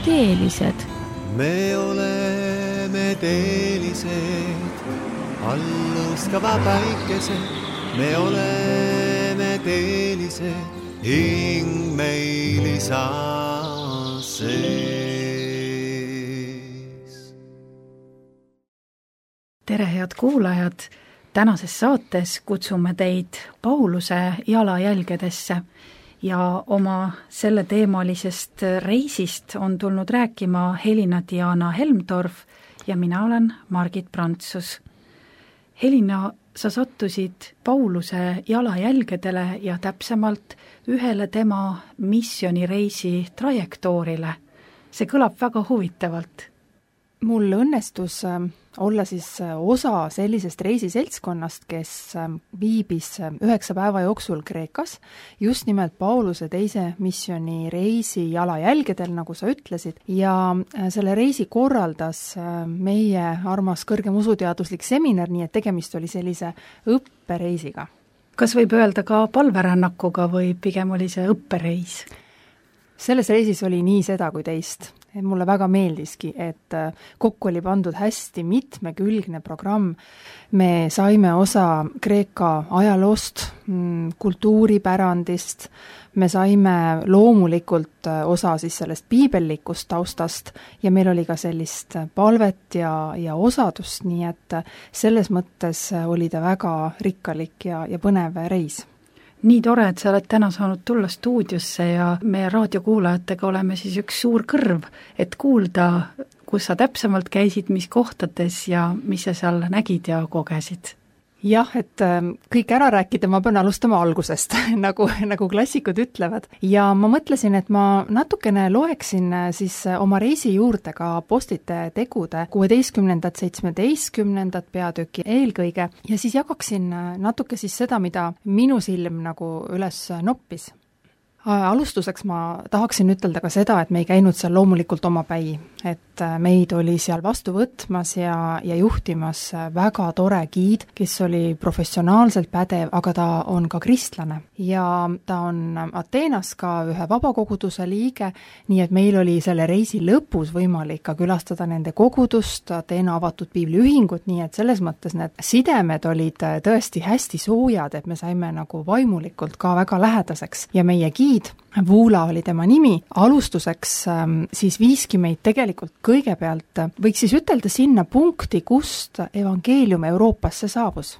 teelised. Me oleme teelised, alluskava päikesed. Me oleme teelised, hing meil isa sees. Tere, head kuulajad! Tänases saates kutsume teid Pauluse jalajälgedesse ja oma selle teemalisest reisist on tulnud rääkima Helina-Diana Helmtorf ja mina olen Margit Prantsus. Helina, sa sattusid Pauluse jalajälgedele ja täpsemalt ühele tema missioonireisi trajektoorile. See kõlab väga huvitavalt. Mul õnnestus olla siis osa sellisest reisiseltskonnast, kes viibis 9 päeva jooksul Kreekas, just nimelt Pauluse teise missiooni reisi jalajälgedel, nagu sa ütlesid, ja selle reisi korraldas meie armas kõrgem usuteaduslik seminar, nii et tegemist oli sellise õppereisiga. Kas võib öelda ka palverännakuga või pigem oli see õppereis? Selles reisis oli nii seda kui teist. Mulle väga meeldiski, et kokku oli pandud hästi mitmekülgne programm. Me saime osa Kreeka ajaloost, kultuuripärandist, me saime loomulikult osa siis sellest piibellikust taustast ja meil oli ka sellist palvet ja osadust, nii et selles mõttes oli ta väga rikkalik ja põnev reis. Nii tore, et sa oled täna saanud tulla stuudiosse ja meie raadiokuulajatega oleme siis üks suur kõrv, et kuulda, kus sa täpsemalt käisid, mis kohtades ja mis sa seal nägid ja kogesid. Jah, et kõik ära rääkida, ma pean alustama algusest, nagu klassikud ütlevad. Ja ma mõtlesin, et ma natukene loeksin siis oma reisi juurde ka Apostlite tegude 16., 17. peatüki eelkõige ja siis jagaksin natuke siis seda, mida minu silm nagu üles noppis. Alustuseks ma tahaksin ütelda ka seda, et me ei käinud seal loomulikult omapäi, et meid oli seal vastu võtmas ja juhtimas väga tore giid, kes oli professionaalselt pädev, aga ta on ka kristlane ja ta on Ateenas ka ühe vabakoguduse liige, nii et meil oli selle reisi lõpus võimalik ka külastada nende kogudust, Ateena avatud piibliühingut, nii et selles mõttes need sidemed olid tõesti hästi soojad, et me saime nagu vaimulikult ka väga lähedaseks ja meie giid Vuula oli tema nimi, alustuseks siis viiski meid tegelikult kõigepealt, võiks siis ütelda sinna punkti, kust evangeelium Euroopasse saabus.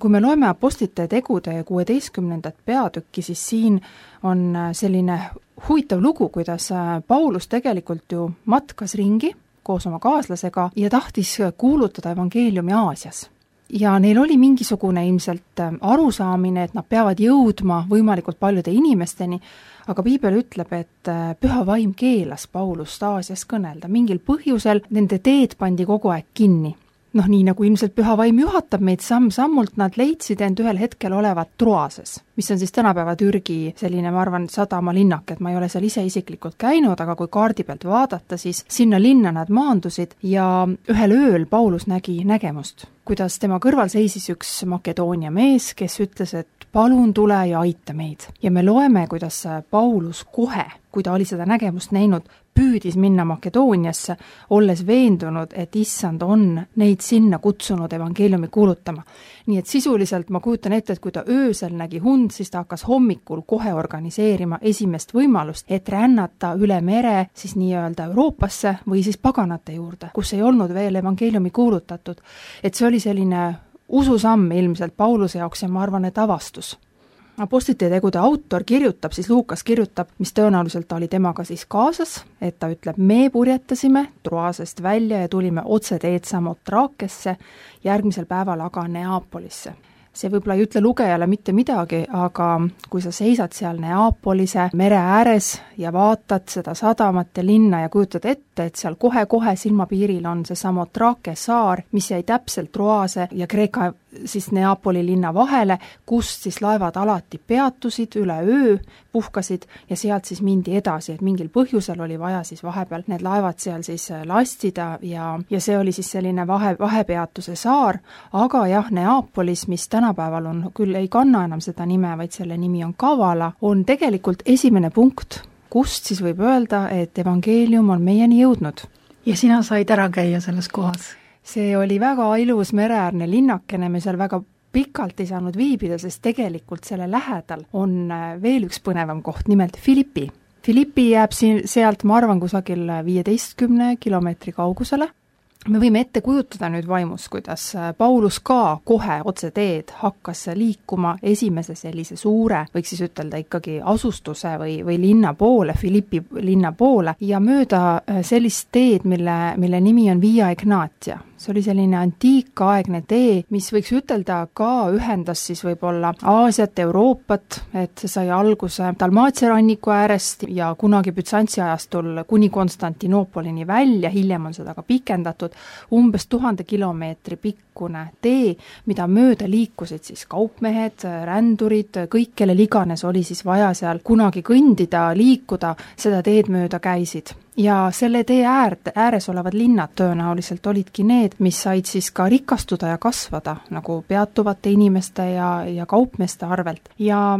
Kui me loeme Apostlite tegude 16. peatükki, siis siin on selline huvitav lugu, kuidas Paulus tegelikult ju matkas ringi koos oma kaaslasega ja tahtis kuulutada evangeeliumi Aasias. Ja neil oli mingisugune ilmselt arusaamine, et nad peavad jõudma võimalikult paljude inimesteni, aga piibel ütleb, et püha vaim keelas Paulust Aasias kõnelda. Mingil põhjusel nende teed pandi kogu aeg kinni. Nii nagu ilmselt püha vaim juhatab meid samm-sammult, nad leidsid end ühel hetkel olevat Troases, mis on siis tänapäeva Türgi selline, ma arvan, sadamalinnak, et ma ei ole seal ise isiklikult käinud, aga kui kaardi pealt vaadata, siis sinna linna nad maandusid ja ühel ööl Paulus nägi nägemust, kuidas tema kõrval seisis üks Makedoonia mees, kes ütles, et palun tule ja aita meid. Ja me loeme, kuidas Paulus kohe, kui ta oli seda nägemust näinud, püüdis minna Makedooniasse, olles veendunud, et issand on neid sinna kutsunud evangeeliumi kuulutama. Nii et sisuliselt ma kujutan ette, et kui ta öösel nägi hund, siis ta hakkas hommikul kohe organiseerima esimest võimalust, et rännata üle mere siis nii-öelda Euroopasse või siis paganate juurde, kus ei olnud veel evangeeliumi kuulutatud. Et see oli selline ususamm ilmselt Pauluse jaoks ja ma arvan, et avastus. Apostlite tegude autor kirjutab, siis Luukas kirjutab, mis tõenäoliselt oli temaga siis kaasas, et ta ütleb, me purjetasime Troasest välja ja tulime otse teed Samotraakesse, järgmisel päeval aga Neapolisse. See võib-olla ei ütle lugejale mitte midagi, aga kui sa seisad seal Neapolise mere ääres ja vaatad seda sadamat ja linna ja kujutad ette, et seal kohe-kohe silmapiiril on see Samotraake saar, mis jäi täpselt Troase ja Kreeka siis Neapoli linna vahele, kust siis laevad alati peatusid üle öö, puhkasid ja sealt siis mindi edasi, et mingil põhjusel oli vaja siis vahepeal need laevad seal siis lastida ja see oli siis selline vahepeatuse saar, aga jah, Neapolis, mis tänapäeval on, küll ei kanna enam seda nime, vaid selle nimi on Kavala, on tegelikult esimene punkt kust siis võib öelda, et evangeelium on meieni jõudnud. Ja sina said ära käia selles kohas? See oli väga ilus mereäärne linnakene, me seal väga pikalt ei saanud viibida, sest tegelikult selle lähedal on veel üks põnevam koht, nimelt Philippi. Philippi jääb sealt, ma arvan, kusagil 15 kilomeetri kaugusele. Me võime ette kujutada nüüd vaimus, kuidas Paulus ka kohe otse teed hakkas liikuma esimese sellise suure, võiks siis ütelda ikkagi asustuse või linna poole, Philippi linna poole ja mööda sellist teed, mille nimi on Via Egnatia. See oli selline antiikaegne tee, mis võiks ütelda ka ühendas siis võib-olla Aasiat, Euroopat, et see sai alguse Dalmaatia ranniku äärest ja kunagi Bütsantsi ajastul kuni Konstantinoopolini välja, hiljem on seda ka pikendatud, umbes 1000 kilomeetri pikkune tee, mida mööda liikusid siis kaupmehed, rändurid, kõik, kellel iganes oli siis vaja seal kunagi kõndida, liikuda, seda teed mööda käisid. Ja selle tee ääres olevad linnad tõenäoliselt olidki need, mis said siis ka rikastuda ja kasvada, nagu peatuvate inimeste ja kaupmeeste arvelt. Ja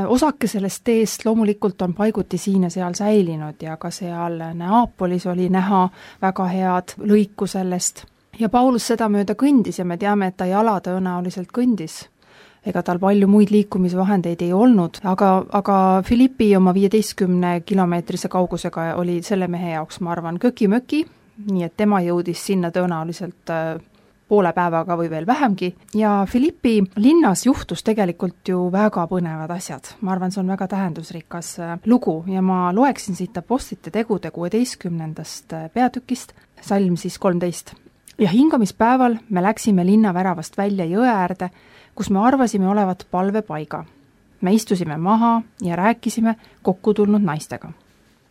osake sellest teest loomulikult on paiguti siin ja seal säilinud ja ka seal Neapolis oli näha väga head lõiku sellest. Ja Paulus seda mööda kõndis ja me teame, et ta jala tõenäoliselt kõndis. Ega tal palju muid liikumisvahendeid ei olnud, aga Philippi oma 15 kilomeetrise kaugusega oli selle mehe jaoks, ma arvan, köki-möki, nii et tema jõudis sinna tõenäoliselt poole päevaga või veel vähemgi. Ja Philippi linnas juhtus tegelikult ju väga põnevad asjad. Ma arvan, see on väga tähendusrikas lugu ja ma loeksin siit Apostlite tegude 16. peatükist, salm siis 13. Ja hingamispäeval me läksime linnaväravast välja jõe äärde, kus me arvasime olevat palvepaiga. Me istusime maha ja rääkisime kokku tulnud naistega.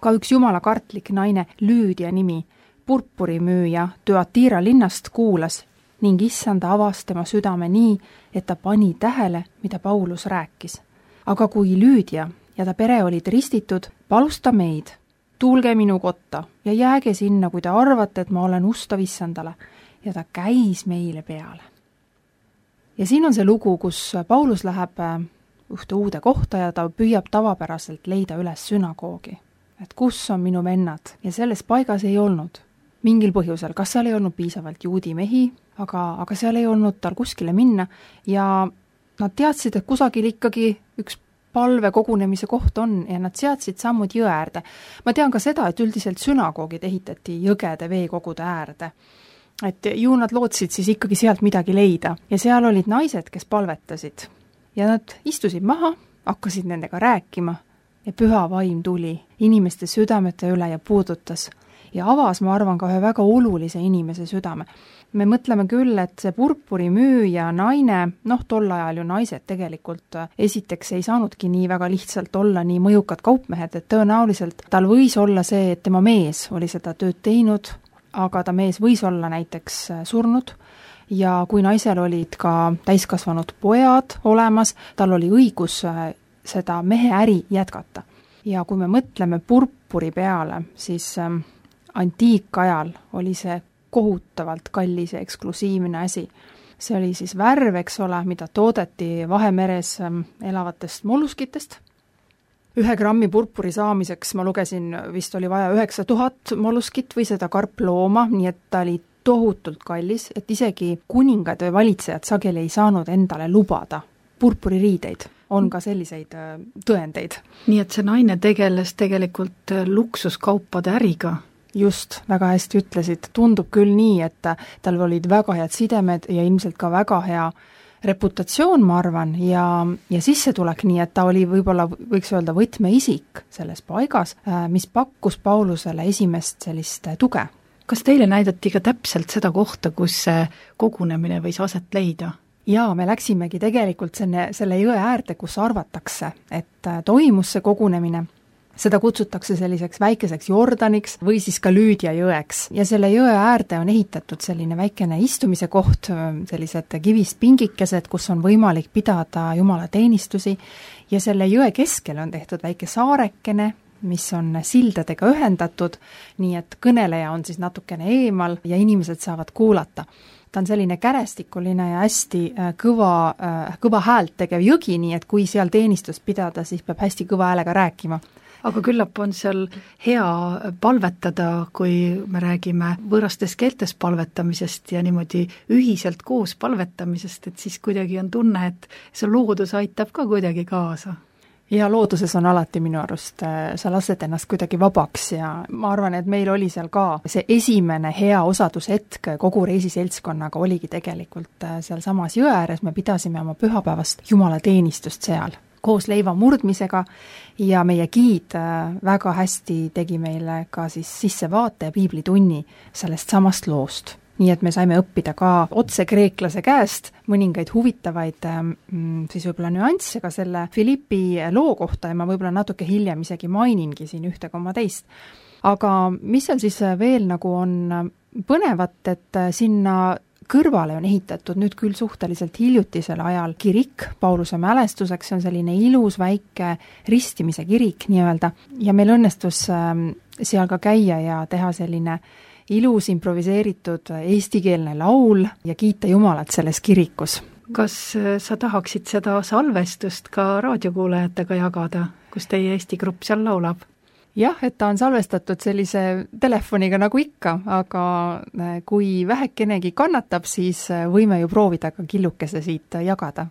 Ka üks jumala kartlik naine Lüüdia nimi, purpurimüüja Thyatira linnast kuulas ning issanda avas tema südame nii, et ta pani tähele, mida Paulus rääkis. Aga kui Lüüdia ja ta pere olid ristitud, palus ta meid, tulge minu kotta ja jääge sinna, kui te arvate, et ma olen ustav issandale, ja ta käis meile peale. Ja siin on see lugu, kus Paulus läheb ühte uude kohta ja ta püüab tavapäraselt leida üles sünagoogi. Et kus on minu vennad? Ja selles paigas ei olnud mingil põhjusel. Kas seal ei olnud piisavalt juudi mehi, aga seal ei olnud tal kuskile minna ja nad teadsid, et kusagil ikkagi üks palve kogunemise koht on ja nad seadsid sammud jõe äärde. Ma tean ka seda, et üldiselt sünagoogid ehitati jõgede veekogude äärde. Et ju nad lootsid siis ikkagi sealt midagi leida ja seal olid naised, kes palvetasid ja nad istusid maha, hakkasid nendega rääkima ja püha vaim tuli inimeste südamete üle ja puudutas ja avas, ma arvan, ka ühe väga olulise inimese südame. Me mõtleme küll, et see purpurimüüja naine, tol ajal ju naised tegelikult esiteks ei saanudki nii väga lihtsalt olla nii mõjukad kaupmehed, et tõenäoliselt tal võis olla see, et tema mees oli seda tööd teinud, aga ta mees võis olla näiteks surnud ja kui naisel olid ka täiskasvanud pojad olemas, tal oli õigus seda mehe äri jätkata. Ja kui me mõtleme purpuri peale, siis antiikajal oli see kohutavalt kallis ja eksklusiivne asi. See oli siis värv, eks ole, mida toodeti Vahemeres elavatest molluskitest. 1 grammi purpuri saamiseks ma lugesin, vist oli vaja 9000 molluskit või seda karplooma, nii et ta oli tohutult kallis, et isegi kuningad või valitsejad sageli ei saanud endale lubada purpuririideid. On ka selliseid tõendeid. Nii et see naine tegeles tegelikult luksuskaupade äriga. Just, väga hästi ütlesid. Tundub küll nii, et tal olid väga head sidemed ja ilmselt ka väga hea reputatsioon, ma arvan, ja sissetulek, nii et ta oli võib-olla, võiks öelda, võtmeisik selles paigas, mis pakkus Paulusele esimest sellist tuge. Kas teile näidati ka täpselt seda kohta, kus see kogunemine võis aset leida? Jaa, me läksimegi tegelikult selle jõe äärde, kus arvatakse, et toimus see kogunemine. Seda kutsutakse selliseks väikeseks Jordaniks või siis ka Lüüdia jõeks. Ja selle jõe äärde on ehitatud selline väikene istumise koht, sellised kivist pingikesed, kus on võimalik pidada jumala teenistusi. Ja selle jõe keskel on tehtud väike saarekene, mis on sildadega ühendatud, nii et kõneleja on siis natukene eemal ja inimesed saavad kuulata. Ta on selline kärestikuline ja hästi kõva häält tegev jõgi, nii et kui seal teenistust pidada, siis peab hästi kõva häälega rääkima. aga küllap on seal hea palvetada, kui me räägime võõrastes keeltes palvetamisest ja niimoodi ühiselt koos palvetamisest, et siis kuidagi on tunne, et see loodus aitab ka kuidagi kaasa. Ja looduses on alati minu arust, sa lased ennast kuidagi vabaks ja ma arvan, et meil oli seal ka see esimene hea osadushetk kogu reisiseltskonnaga oligi tegelikult seal samas jõe ääres, me pidasime oma pühapäevast jumalateenistust seal koos leiva murdmisega ja meie giid väga hästi tegi meile ka siis sissevaate ja piiblitunni sellest samast loost. Nii et me saime õppida ka otse kreeklase käest mõningaid huvitavaid siis võib-olla nüansse ka selle Philippi loo kohta ja ma võib-olla natuke hiljem isegi mainingi siin 1,2. Aga mis seal siis veel nagu on põnevat, et sinna kõrvale on ehitatud nüüd küll suhteliselt hiljutisel ajal kirik Pauluse mälestuseks, see on selline ilus väike ristimise kirik nii-öelda ja meil õnnestus seal ka käia ja teha selline ilus improviseeritud eestikeelne laul ja kiita Jumalat selles kirikus. Kas sa tahaksid seda salvestust ka raadiokuulajatega jagada, kus teie Eesti grupp seal laulab? Jah, et ta on salvestatud sellise telefoniga nagu ikka, aga kui vähekenegi kannatab, siis võime ju proovida ka killukese siit jagada.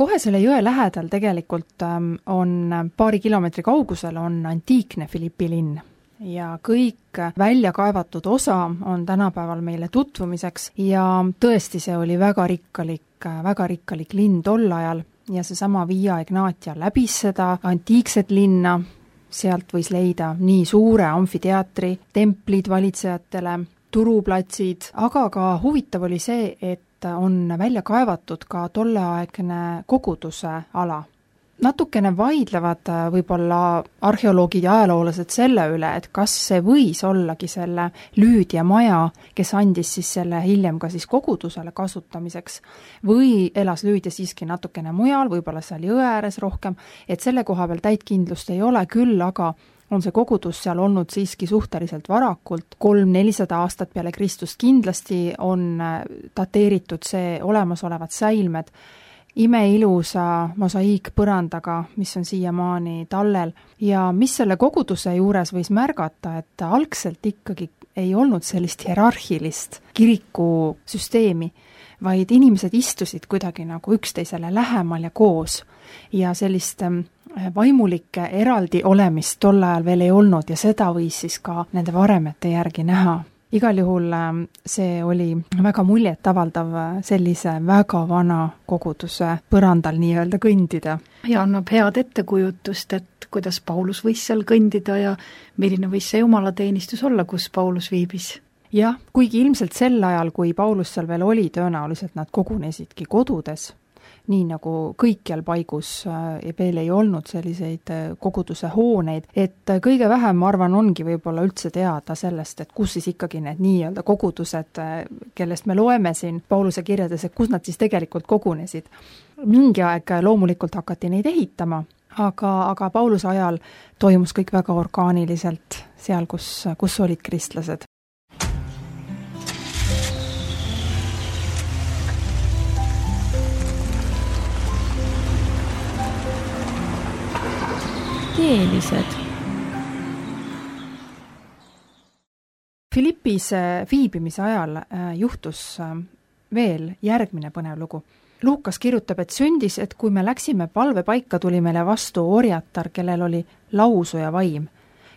Kohe selle jõe lähedal tegelikult on paari kilomeetri kaugusel on antiikne Philippi linn ja kõik välja kaevatud osa on tänapäeval meile tutvumiseks ja tõesti see oli väga rikkalik linn tol ajal ja seesama Via Egnatia läbis seda antiikset linna, sealt võis leida nii suure amfiteatri, templid valitsejatele, turuplatsid, aga ka huvitav oli see, et on välja kaevatud ka tolleaegne koguduse ala. Natukene vaidlevad võib-olla arheoloogid ja ajaloolased selle üle, et kas see võis ollagi selle Lüüdia maja, kes andis siis selle hiljem ka siis kogudusele kasutamiseks, või elas Lüüdia siiski natukene mujal, võib-olla seal jõe ääres rohkem, et selle koha peal täitkindlust ei ole, küll aga on see kogudus seal olnud siiski suhteliselt varakult, 300-400 aastat peale Kristust kindlasti on dateeritud see olemasolevad säilmed imeilusa mosaiikpõrandaga, mis on siiamaani tallel ja mis selle koguduse juures võis märgata, et algselt ikkagi ei olnud sellist hierarhilist kirikusüsteemi, vaid inimesed istusid kuidagi nagu üksteisele lähemal ja koos ja sellist vaimulike eraldi olemist tol ajal veel ei olnud ja seda võis siis ka nende varemete järgi näha. Igal juhul see oli väga muljetavaldav sellise väga vana koguduse põrandal nii-öelda kõndida. Ja annab head ettekujutust, et kuidas Paulus võis seal kõndida ja milline võis see jumalateenistus olla, kus Paulus viibis. Jah, kuigi ilmselt sel ajal, kui Paulus seal veel oli, tõenäoliselt nad kogunesidki kodudes, nii nagu kõikjal paigus veel ei olnud selliseid koguduse hooneid, et kõige vähem, ma arvan, ongi võib-olla üldse teada sellest, et kus siis ikkagi need nii-öelda kogudused, kellest me loeme siin Pauluse kirjades, et kus nad siis tegelikult kogunesid. Mingi aeg loomulikult hakati neid ehitama, aga Pauluse ajal toimus kõik väga orgaaniliselt seal, kus olid kristlased. Keelised. Filippis viibimise ajal juhtus veel järgmine põnev lugu. Luukas kirjutab, et sündis, et kui me läksime palvepaika, tuli meile vastu orjatar, kellel oli lausuja vaim.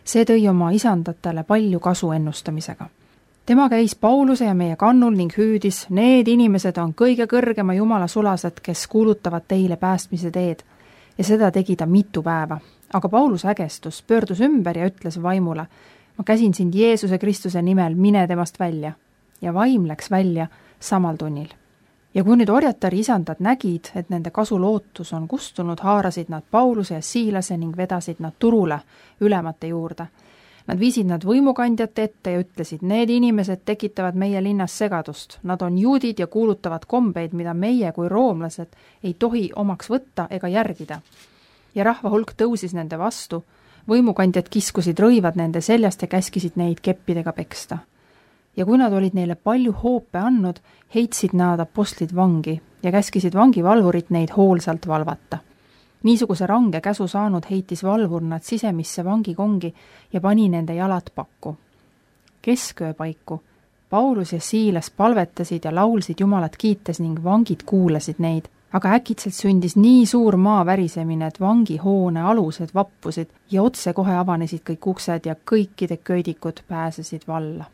See tõi oma isandatele palju kasu ennustamisega. Tema käis Pauluse ja meie kannul ning hüüdis, need inimesed on kõige kõrgema Jumala sulased, kes kuulutavad teile päästmise teed. Ja seda tegi ta mitu päeva. Aga Paulus ägestus, pöördus ümber ja ütles vaimule, ma käsin sind Jeesuse Kristuse nimel, mine temast välja. Ja vaim läks välja samal tunnil. Ja kui nüüd orjatari isandad nägid, et nende kasulootus on kustunud, haarasid nad Pauluse ja Siilase ning vedasid nad turule ülemate juurde. Nad viisid nad võimukandjate ette ja ütlesid, need inimesed tekitavad meie linnas segadust. Nad on juudid ja kuulutavad kombeid, mida meie kui roomlased ei tohi omaks võtta ega järgida. Ja rahva hulk tõusis nende vastu, võimukandjad kiskusid rõivad nende seljast ja käskisid neid keppidega peksta. Ja kui nad olid neile palju hoope andnud, heitsid nad apostlid vangi ja käskisid vangivalvurit neid hoolsalt valvata. Niisuguse range käsu saanud heitis valvur nad sisemisse vangikongi ja pani nende jalad pakku. Kesköö paiku Paulus ja Siilas palvetasid ja laulsid Jumalat kiites ning vangid kuulasid neid. Aga äkitselt sündis nii suur maa värisemine, et vangihoone alused vappusid ja otse kohe avanesid kõik uksed ja kõikide köidikud pääsesid valla.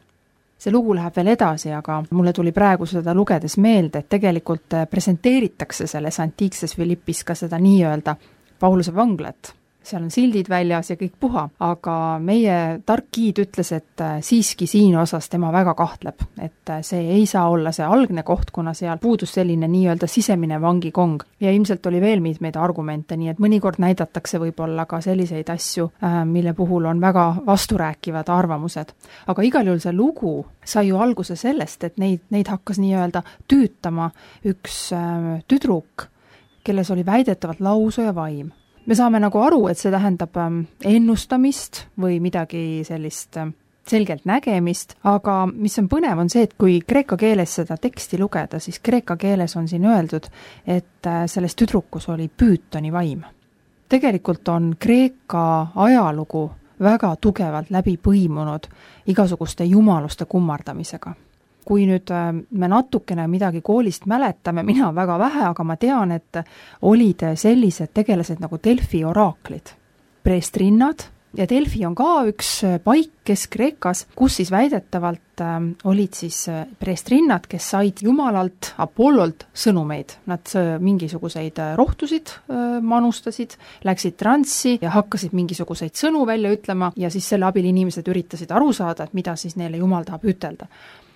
See lugu läheb veel edasi, aga mulle tuli praegu seda lugedes meelde, et tegelikult presenteeritakse selles antiikses Filippis ka seda nii-öelda Pauluse vanglat. Seal on sildid väljas ja kõik puha, aga meie tark giid ütles, et siiski siin osas tema väga kahtleb, et see ei saa olla see algne koht, kuna seal puudus selline nii-öelda sisemine vangikong. Ja ilmselt oli veel mitmeid argumente, nii et mõnikord näidatakse võib-olla ka selliseid asju, mille puhul on väga vasturääkivad arvamused. Aga igal juhul see lugu sai ju alguse sellest, et neid hakkas nii-öelda tüütama üks tüdruk, kelles oli väidetavalt lausuja vaim. Me saame nagu aru, et see tähendab ennustamist või midagi sellist selgelt nägemist, aga mis on põnev on see, et kui kreeka keeles seda teksti lugeda, siis kreeka keeles on siin öeldud, et selles tüdrukus oli Püütoni vaim. Tegelikult on kreeka ajalugu väga tugevalt läbi põimunud igasuguste jumaluste kummardamisega. Kui nüüd me natukene midagi koolist mäletame, mina väga vähe, aga ma tean, et olid sellised tegelased nagu Delfi oraaklid, preestrinnad, ja Delfi on ka üks paik Kesk-Kreekas, kus siis väidetavalt olid siis preestrinnad, kes said Jumalalt, Apollolt sõnumeid. Nad mingisuguseid rohtusid manustasid, läksid transsi ja hakkasid mingisuguseid sõnu välja ütlema ja siis selle abil inimesed üritasid aru saada, et mida siis neile Jumal tahab ütelda.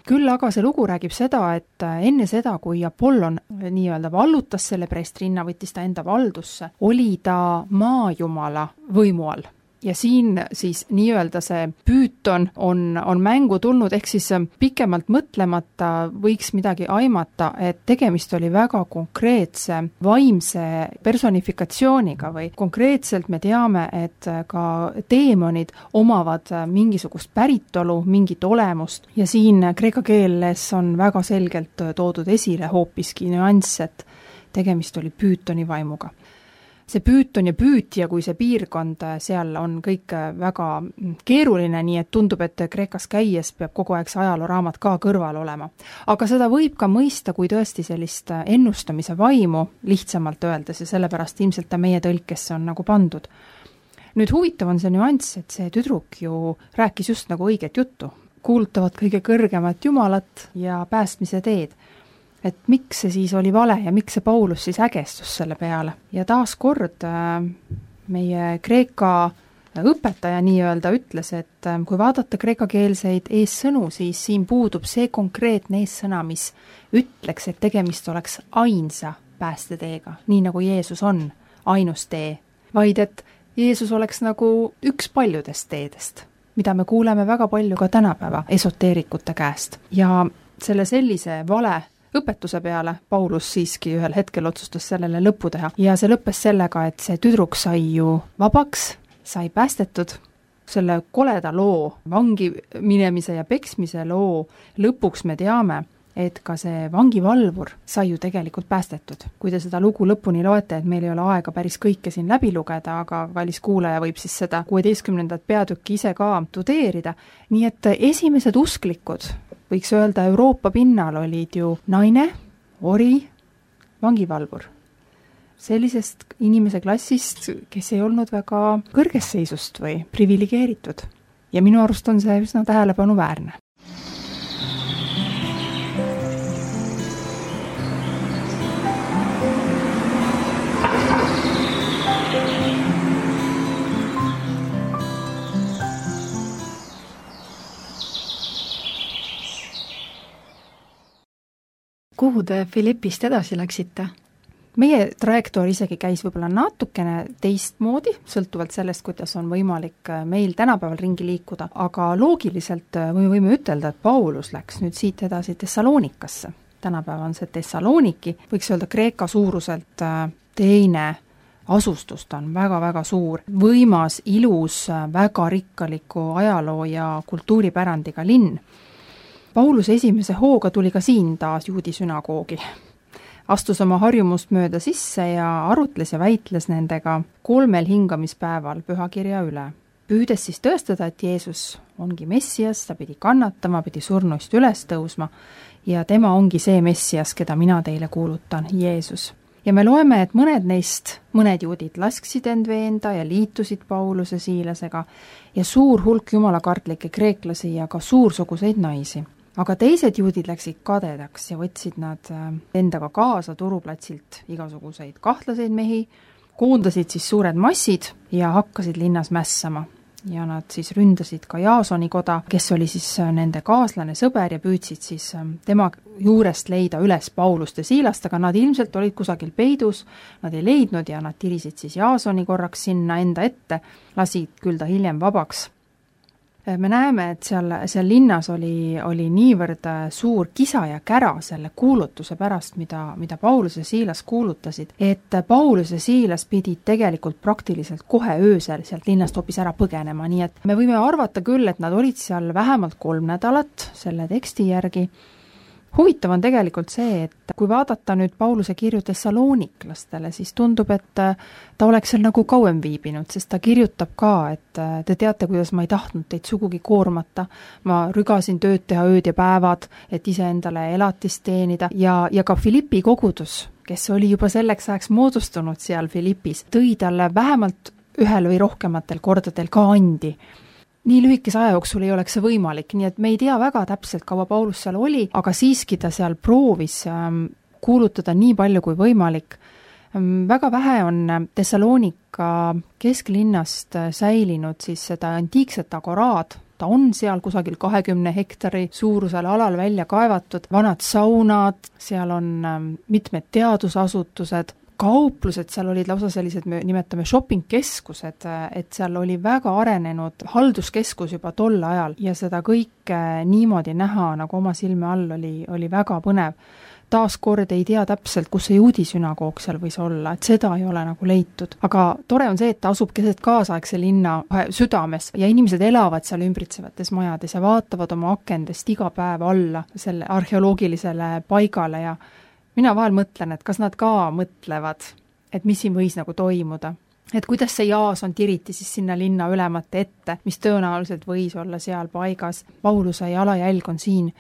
Küll aga see lugu räägib seda, et enne seda, kui Apollon nii-öelda vallutas selle preestrinna, võttis ta enda valdusse, oli ta maajumala võimu all. Ja siin siis nii-öelda see Püüton on mängu tulnud, ehk siis pikemalt mõtlemata võiks midagi aimata, et tegemist oli väga konkreetse vaimse personifikatsiooniga või konkreetselt me teame, et ka teemonid omavad mingisugust päritolu, mingit olemust ja siin kreeka keeles on väga selgelt toodud esile hoopiski nüanss, et tegemist oli Püütoni vaimuga. See Püüton ja Püütja, kui see piirkond seal on kõik väga keeruline, nii et tundub, et Kreekas käies peab kogu aeg see ajalooraamat ka kõrval olema. Aga seda võib ka mõista, kui tõesti sellist ennustamise vaimu lihtsamalt öeldes ja sellepärast ilmselt ta meie tõlkesse on nagu pandud. Nüüd huvitav on see nüanss, et see tüdruk ju rääkis just nagu õiget juttu. Kuulutavad kõige kõrgemat Jumalat ja päästmise teed. Et miks see siis oli vale ja miks see Paulus siis ägestus selle peale. Ja taas kord meie Kreeka õpetaja nii-öelda ütles, et kui vaadata kreekakeelseid eessõnu, siis siin puudub see konkreetne eessõna, mis ütleks, et tegemist oleks ainsa päästeteega, nii nagu Jeesus on ainus tee, vaid et Jeesus oleks nagu üks paljudest teedest, mida me kuuleme väga palju ka tänapäeva esoteerikute käest. Ja sellise vale õpetuse peale Paulus siiski ühel hetkel otsustas sellele lõppu teha ja see lõppes sellega, et see tüdruk sai ju vabaks, sai päästetud. Selle koleda loo, vangi minemise ja peksmise loo lõpuks me teame, et ka see vangivalvur sai ju tegelikult päästetud. Kui te seda lugu lõpuni loete, et meil ei ole aega päris kõike siin läbi lugeda, aga kallis kuulaja võib siis seda 16. peatükki ise ka tudeerida. Nii et esimesed usklikud, võiks öelda Euroopa pinnal olid ju naine, ori, vangivalvur. Sellisest inimese klassist, kes ei olnud väga kõrges seisust või privilegeeritud. Ja minu arust on see üsna tähelepanuväärne. Kuhu te Filippist edasi läksite? Meie trajektoor isegi käis võib-olla natukene teistmoodi, sõltuvalt sellest, kuidas on võimalik meil tänapäeval ringi liikuda, aga loogiliselt võime ütelda, et Paulus läks nüüd siit edasi Thessalonikasse. Tänapäeval on see Thessaloniki, võiks öelda Kreeka suuruselt teine asustus, ta on väga-väga suur, võimas, ilus, väga rikkaliku ajaloo ja kultuuripärandiga linn. Paulus esimese hooga tuli ka siin taas juudi sünagoogi. Astus oma harjumust mööda sisse ja arutles ja väitles nendega 3 hingamispäeval pühakirja üle. Püüdes siis tõestada, et Jeesus ongi Messias, ta pidi kannatama, pidi surnuist üles tõusma ja tema ongi see Messias, keda mina teile kuulutan, Jeesus. Ja me loeme, et mõned juudid lasksid end veenda ja liitusid Pauluse Siilasega ja suur hulk jumalakartlikke kreeklasi ja ka suursuguseid naisi. Aga teised juudid läksid kadedaks ja võtsid nad endaga kaasa turuplatsilt igasuguseid kahtlaseid mehi, koondasid siis suured massid ja hakkasid linnas mässama. Ja nad siis ründasid ka Jaasoni koda, kes oli siis nende kaaslane, sõber ja püüdsid siis tema juurest leida üles Paulust ja Siilast, aga nad ilmselt olid kusagil peidus, nad ei leidnud ja nad tirisid siis Jaasoni korraks sinna enda ette, lasid küll ta hiljem vabaks. Me näeme, et seal linnas oli niivõrd suur kisa ja kära selle kuulutuse pärast, mida Paulus ja Siilas kuulutasid, et Paulus ja Siilas pidid tegelikult praktiliselt kohe öösel sealt linnast hoopis ära põgenema, nii et me võime arvata küll, et nad olid seal vähemalt 3 nädalat selle teksti järgi. Huvitav on tegelikult see, et kui vaadata nüüd Pauluse kirju Thessaloniklastele, siis tundub, et ta oleks seal nagu kauem viibinud, sest ta kirjutab ka, et te teate, kuidas ma ei tahtnud teid sugugi koormata, ma rügasin tööd teha ööd ja päevad, et iseendale elatist teenida ja ka Filippi kogudus, kes oli juba selleks ajaks moodustunud seal Filippis, tõi talle vähemalt 1 või rohkematel kordadel ka andi. Nii lühikese aja jooksul ei oleks see võimalik, nii et me ei tea väga täpselt, kaua Paulus seal oli, aga siiski ta seal proovis kuulutada nii palju kui võimalik. Väga vähe on Thessalonika kesklinnast säilinud siis seda antiikset agoraad, ta on seal kusagil 20 hektari suurusel alal välja kaevatud, vanad saunad, seal on mitmed teadusasutused, kauplused, seal olid lausa sellised, me nimetame shopping-keskused, et seal oli väga arenenud halduskeskus juba tol ajal ja seda kõike niimoodi näha nagu oma silme all oli väga põnev. Taas kord ei tea täpselt, kus see juudi sünagoog seal võis olla, et seda ei ole nagu leitud. Aga tore on see, et ta asub keset kaasaegse linna südames ja inimesed elavad seal ümbritsevates majades ja vaatavad oma akendest iga päev alla selle arheoloogilisele paigale ja mina vahel mõtlen, et kas nad ka mõtlevad, et mis siin võis nagu toimuda. Et kuidas see Jaason tiriti siis sinna linna ülemate ette, mis tõenäoliselt võis olla seal paigas. Pauluse jalajälg on siin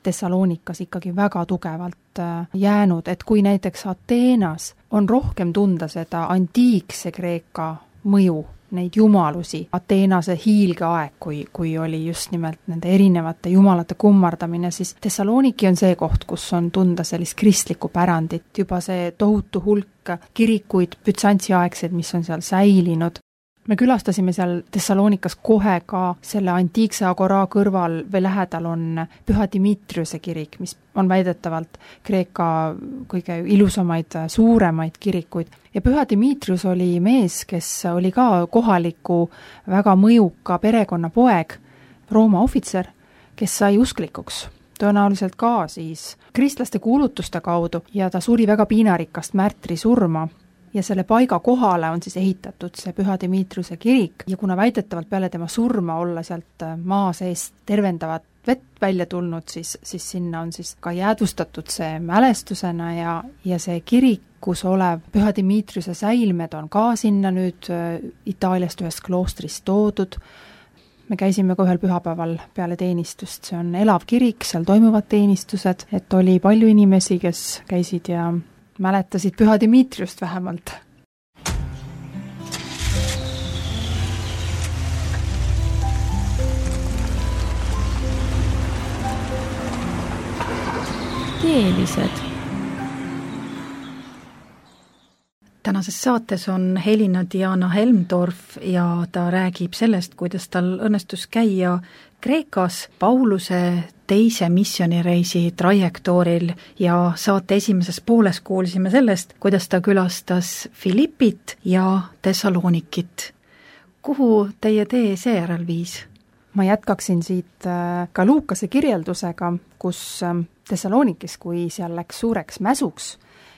Thessaloonikas ikkagi väga tugevalt jäänud, et kui näiteks Ateenas on rohkem tunda seda antiikse Kreeka mõju, neid jumalusi, Ateenase hiilgeaeg, kui oli just nimelt nende erinevate jumalate kummardamine, siis Thessaloniki on see koht, kus on tunda sellist kristlikku pärandit, juba see tohutu hulk kirikuid, bütsantsiaegseid, mis on seal säilinud. Me külastasime seal Thessalonikas kohe ka selle antiikse agora kõrval või lähedal on Püha Dimitriuse kirik, mis on väidetavalt Kreeka kõige ilusamaid, suuremaid kirikuid. Ja Püha Dimitrius oli mees, kes oli ka kohaliku väga mõjuka perekonna poeg, Rooma ohvitser, kes sai usklikuks. Tõenäoliselt ka siis kristlaste kuulutuste kaudu ja ta suri väga piinarikast märtri surma. Ja selle paiga kohale on siis ehitatud see Püha Dimitriuse kirik ja kuna väidetavalt peale tema surma olla sealt maa seest tervendavat vett välja tulnud, siis sinna on siis ka jäädvustatud see mälestusena ja see kirikus olev Püha Dimitriuse säilmed on ka sinna nüüd Itaaliast ühest kloostrist toodud. Me käisime ka ühel pühapäeval peale teenistust, see on elav kirik, seal toimuvad teenistused, et oli palju inimesi, kes käisid ja mäletasid Püha Dimitriust vähemalt. Teelised. Tänases saates on Helina Diana Helmdorf ja ta räägib sellest, kuidas tal õnnestus käia Kreekas Pauluse teise missioonireisi trajektooril ja saate esimeses pooles kuulsime sellest, kuidas ta külastas Filippit ja Thessalonikit. Kuhu teie tee seejärel viis? Ma jätkaksin siit ka Luukase kirjeldusega, kus Thessalonikis, kui seal läks suureks mäsuks,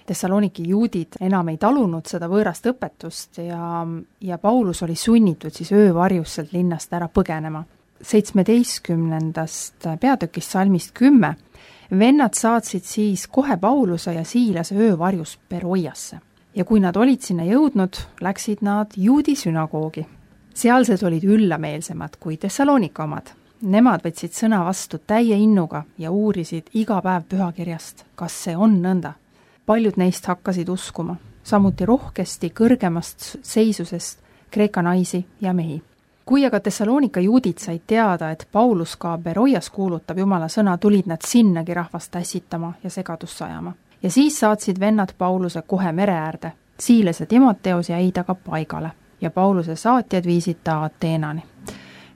Thessaloniki juudid enam ei talunud seda võõrast õpetust ja Paulus oli sunnitud siis öövarjus sealt linnast ära põgenema. 17. peatükist salmist 10 vennad saatsid siis kohe Pauluse ja Siilase öövarjus Beroiasse. Ja kui nad olid sinna jõudnud, läksid nad juudi sünagoogi. Sealsed olid üllameelsemad kui Thessalonika omad. Nemad võtsid sõna vastu täie innuga ja uurisid iga päev pühakirjast, kas see on nõnda. Paljud neist hakkasid uskuma, samuti rohkesti kõrgemast seisusest Kreeka naisi ja mehi. Kui aga Thessalonika juudid said teada, et Paulus ka Beroias kuulutab Jumala sõna, tulid nad sinnagi rahvast ässitama ja segadust sajama. Ja siis saatsid vennad Pauluse kohe mere äärde. Siiles ja Timoteos jäid aga paigale ja Pauluse saatjad viisid ta Ateenani.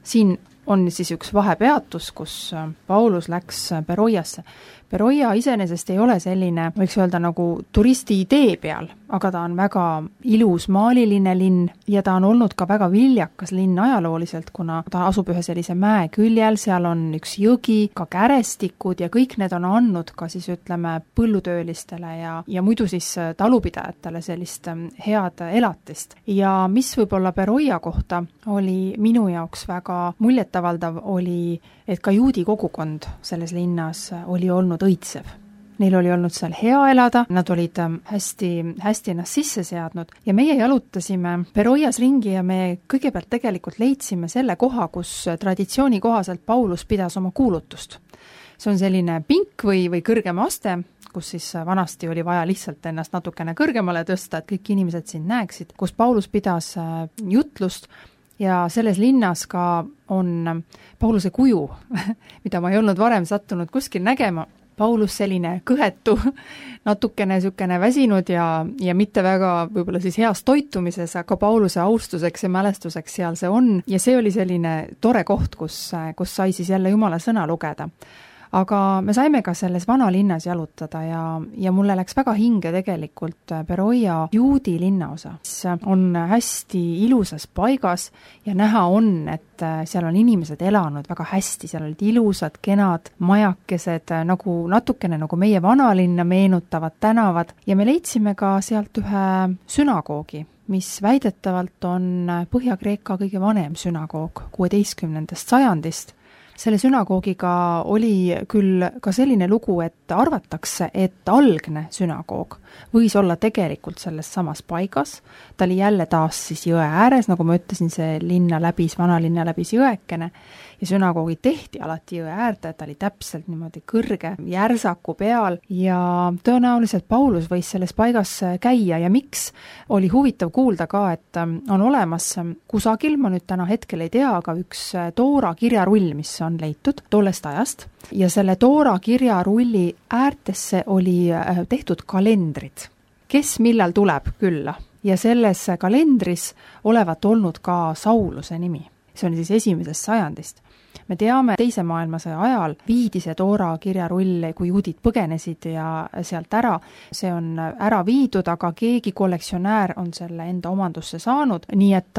Siin on siis üks vahepeatus, kus Paulus läks Beroiasse. Beroia iseenesest ei ole selline, võiks öelda nagu turisti idee peal, aga ta on väga ilus maaliline linn ja ta on olnud ka väga viljakas linn ajalooliselt, kuna ta asub ühe sellise mäe küljel, seal on üks jõgi, ka kärestikud ja kõik need on andnud ka siis ütleme põllutöölistele ja muidu siis talupidajatele sellist head elatist. Ja mis võib-olla Beroia kohta oli minu jaoks väga muljetavaldav oli, et ka juudi kogukond selles linnas oli olnud õitsev. Neil oli olnud seal hea elada, nad olid hästi ennast sisse seadnud ja meie jalutasime Beroias ringi ja me kõigepealt tegelikult leidsime selle koha, kus traditsiooni kohaselt Paulus pidas oma kuulutust. See on selline pink või kõrgem aste, kus siis vanasti oli vaja lihtsalt ennast natukene kõrgemale tõsta, et kõik inimesed siin näeksid, kus Paulus pidas jutlust ja selles linnas ka on Pauluse kuju, mida ma ei olnud varem sattunud kuskil nägema. Paulus selline kõhetu, natukene sükene väsinud ja mitte väga võib-olla siis heas toitumises, aga Pauluse austuseks ja mälestuseks seal see on. Ja see oli selline tore koht, kus sai siis jälle Jumala sõna lugeda. Aga me saime ka selles vanalinnas jalutada ja mulle läks väga hinge tegelikult Beroia juudi linnaosa. See on hästi ilusas paigas ja näha on, et seal on inimesed elanud väga hästi, seal olid ilusad, kenad majakesed, natukene nagu meie vanalinna meenutavad tänavad ja me leidsime ka sealt ühe sünagoogi, mis väidetavalt on Põhja-Kreeka kõige vanem sünagoog 16. sajandist. selle sünagoogiga oli küll ka selline lugu, et arvatakse, et algne sünagoog võis olla tegelikult selles samas paigas, ta oli jälle taas siis jõe ääres, nagu ma ütlesin, see vanalinna läbis jõekene, ja sünagoogi tehti alati jõe äärde, ta oli täpselt niimoodi kõrge järsaku peal ja tõenäoliselt Paulus võis selles paigas käia ja miks, oli huvitav kuulda ka, et on olemas kusagil, ma nüüd täna hetkel ei tea, aga üks Toora kirjarull, mis on leitud tollest ajast ja selle Toora kirjarulli äärtesse oli tehtud kalendrid, kes millal tuleb külla ja selles kalendris olevat olnud ka Sauluse nimi. See on siis 1. sajandist. Me teame, teise maailmasõja ajal viidi see Toora kirjarull, kui juudid põgenesid ja sealt ära, see on ära viidud, aga keegi kollektsionäär on selle enda omandusse saanud, nii et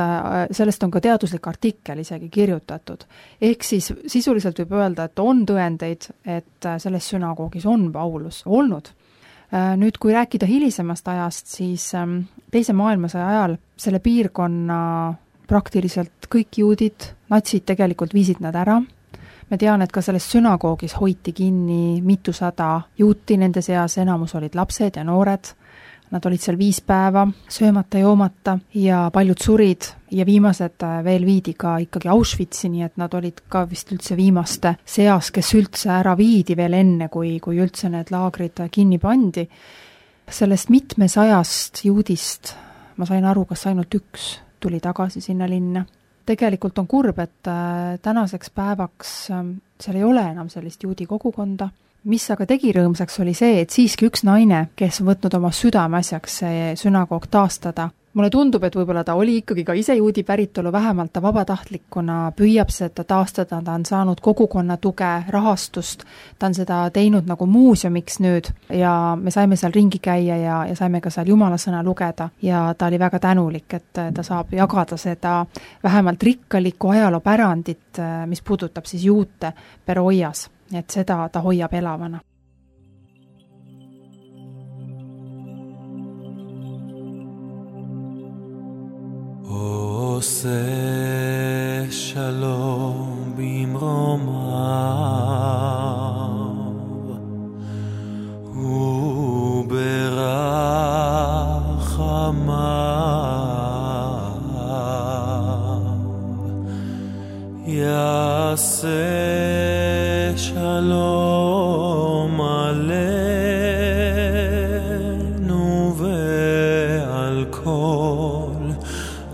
sellest on ka teaduslik artikkel isegi kirjutatud. Ehk siis sisuliselt võib öelda, et on tõendeid, et selles sünagoogis on Paulus olnud. Nüüd, kui rääkida hilisemast ajast, siis teise maailmasõja ajal selle piirkonna praktiliselt kõik juudid, natsid tegelikult viisid nad ära. Me tean, et ka selles sünagoogis hoiti kinni mitusada juuti, nende seas enamus olid lapsed ja noored. Nad olid seal 5 päeva söömata, joomata ja paljud surid ja viimased veel viidi ka ikkagi Auschwitzi, nii et nad olid ka vist üldse viimaste seas, kes üldse ära viidi veel enne, kui üldse need laagrid kinni pandi. Sellest 700 juudist ma sain aru, kas ainult 1 tuli tagasi sinna linna. Tegelikult on kurb, et tänaseks päevaks seal ei ole enam sellist juudi kogukonda. Mis aga tegi rõõmsaks oli see, et siiski üks naine, kes on võtnud oma südameasjaks see sünagoog taastada. Mulle tundub, et võib-olla ta oli ikkagi ka ise juudi päritolu, vähemalt ta vabatahtlikuna püüab seda taastada, ta on saanud kogukonna tuge, rahastust, ta on seda teinud nagu muuseumiks nüüd ja me saime seal ringi käia ja saime ka seal Jumala sõna lugeda ja ta oli väga tänulik, et ta saab jagada seda vähemalt rikkalikku ajaloopärandit, mis puudutab siis juute Beroias, et seda ta hoiab elavana. עושה שלום במרומיו וברחמיו יעשה שלום עלינו ועל כל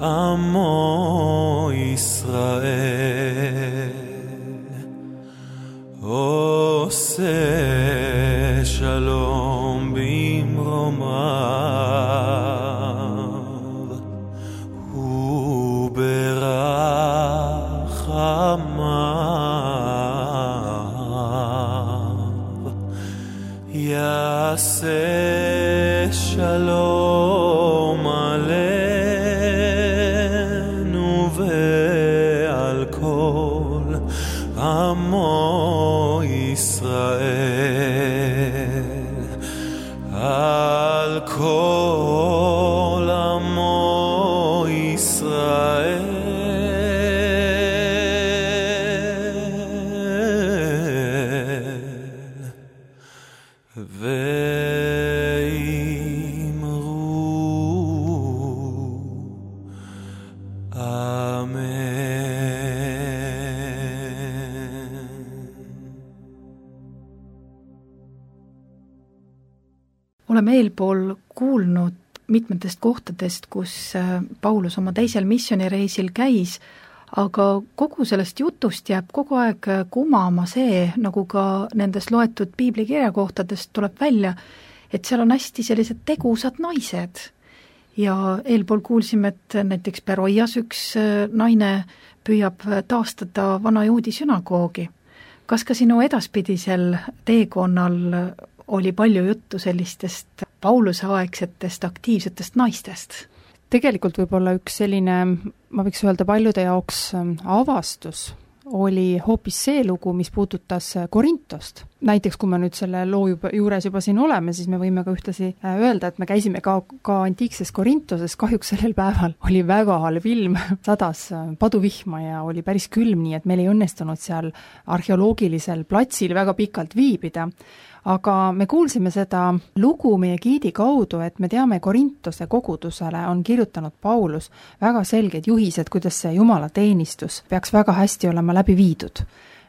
עמו ישראל עושה שלום במרומיו וברחמיו יעשה שלום עלינו ועל כל עמו ישראל על כל עמו ישראל oleme eelpool kuulnud mitmetest kohtadest, kus Paulus oma teisel missioonireisil käis, aga kogu sellest jutust jääb kogu aeg kumama see, nagu ka nendest loetud piiblikirjakohtadest tuleb välja, et seal on hästi sellised tegusad naised. Ja eelpool kuulsime, et näiteks Beroias üks naine püüab taastada vana juudi sünagoogi. Kas ka sinu edaspidisel teekonnal oli palju juttu sellistest Pauluse aegsetest aktiivsetest naistest? Tegelikult võib olla üks selline, ma võiks öelda paljude jaoks avastus, oli hoopis see lugu, mis puudutas Korintost. Näiteks, kui me nüüd selle loo juures juba siin oleme, siis me võime ka ühtlasi öelda, et me käisime ka antiikses Korintoses, kahjuks sellel päeval oli väga halb ilm, sadas paduvihma ja oli päris külm, nii et meil ei õnnestunud seal arheoloogilisel platsil väga pikalt viibida. Aga me kuulsime seda lugu meie giidi kaudu, et me teame, Korintose kogudusele on kirjutanud Paulus väga selged juhised, kuidas see Jumala teenistus peaks väga hästi olema läbi viidud.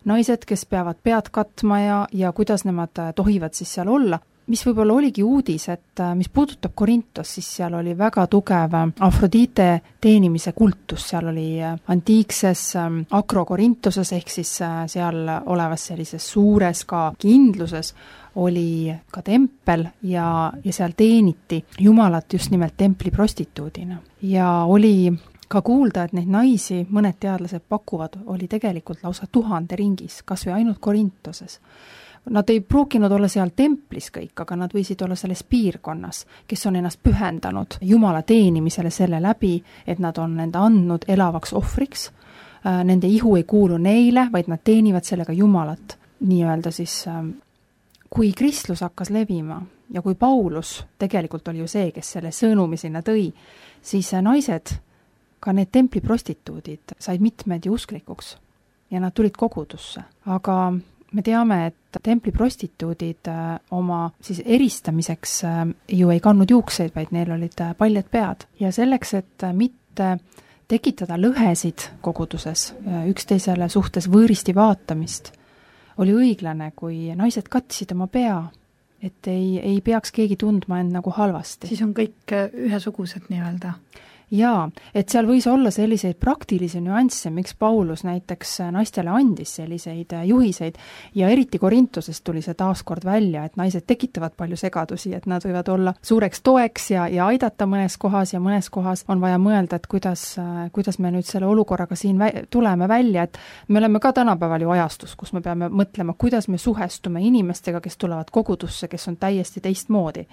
Naised, kes peavad pead katma ja kuidas nemad tohivad siis seal olla. Mis võib-olla oligi uudis, et mis puudutab Korintos, siis seal oli väga tugev Afrodite teenimise kultus, seal oli antiikses Akrokorintoses ehk siis seal olevas sellises suures ka kindluses oli ka tempel ja seal teeniti Jumalat just nimelt templi prostituudina. Ja oli ka kuulda, et neid naisi, mõned teadlased pakuvad, oli tegelikult lausa 1000 ringis, kas või ainult Korintoses. Nad ei pruukinud olla seal templis kõik, aga nad võisid olla selles piirkonnas, kes on ennast pühendanud Jumala teenimisele selle läbi, et nad on enda andnud elavaks ohvriks. Nende ihu ei kuulu neile, vaid nad teenivad sellega Jumalat. Nii-öelda siis, kui kristlus hakkas levima ja kui Paulus tegelikult oli ju see, kes selle sõnumi sinna tõi, siis naised, ka need templi prostituudid, said mitmed ju usklikuks ja nad tulid kogudusse. Aga me teame, et templi prostituudid oma siis eristamiseks ju ei kandnud juukseid, vaid neil olid paljad pead. Ja selleks, et mitte tekitada lõhesid koguduses, üksteisele suhtes võõristi vaatamist, oli õiglane, kui naised katsid oma pea, et ei peaks keegi tundma end nagu halvasti. Siis on kõik ühesugused nii-öelda. Jaa, et seal võis olla selliseid praktilisi nüansse, miks Paulus näiteks naistele andis selliseid juhiseid ja eriti Korintosest tuli see taaskord välja, et naised tekitavad palju segadusi, et nad võivad olla suureks toeks ja aidata mõnes kohas ja mõnes kohas on vaja mõelda, et kuidas me nüüd selle olukorraga siin tuleme välja, et me oleme ka tänapäeval ju ajastus, kus me peame mõtlema, kuidas me suhestume inimestega, kes tulevad kogudusse, kes on täiesti teistmoodi.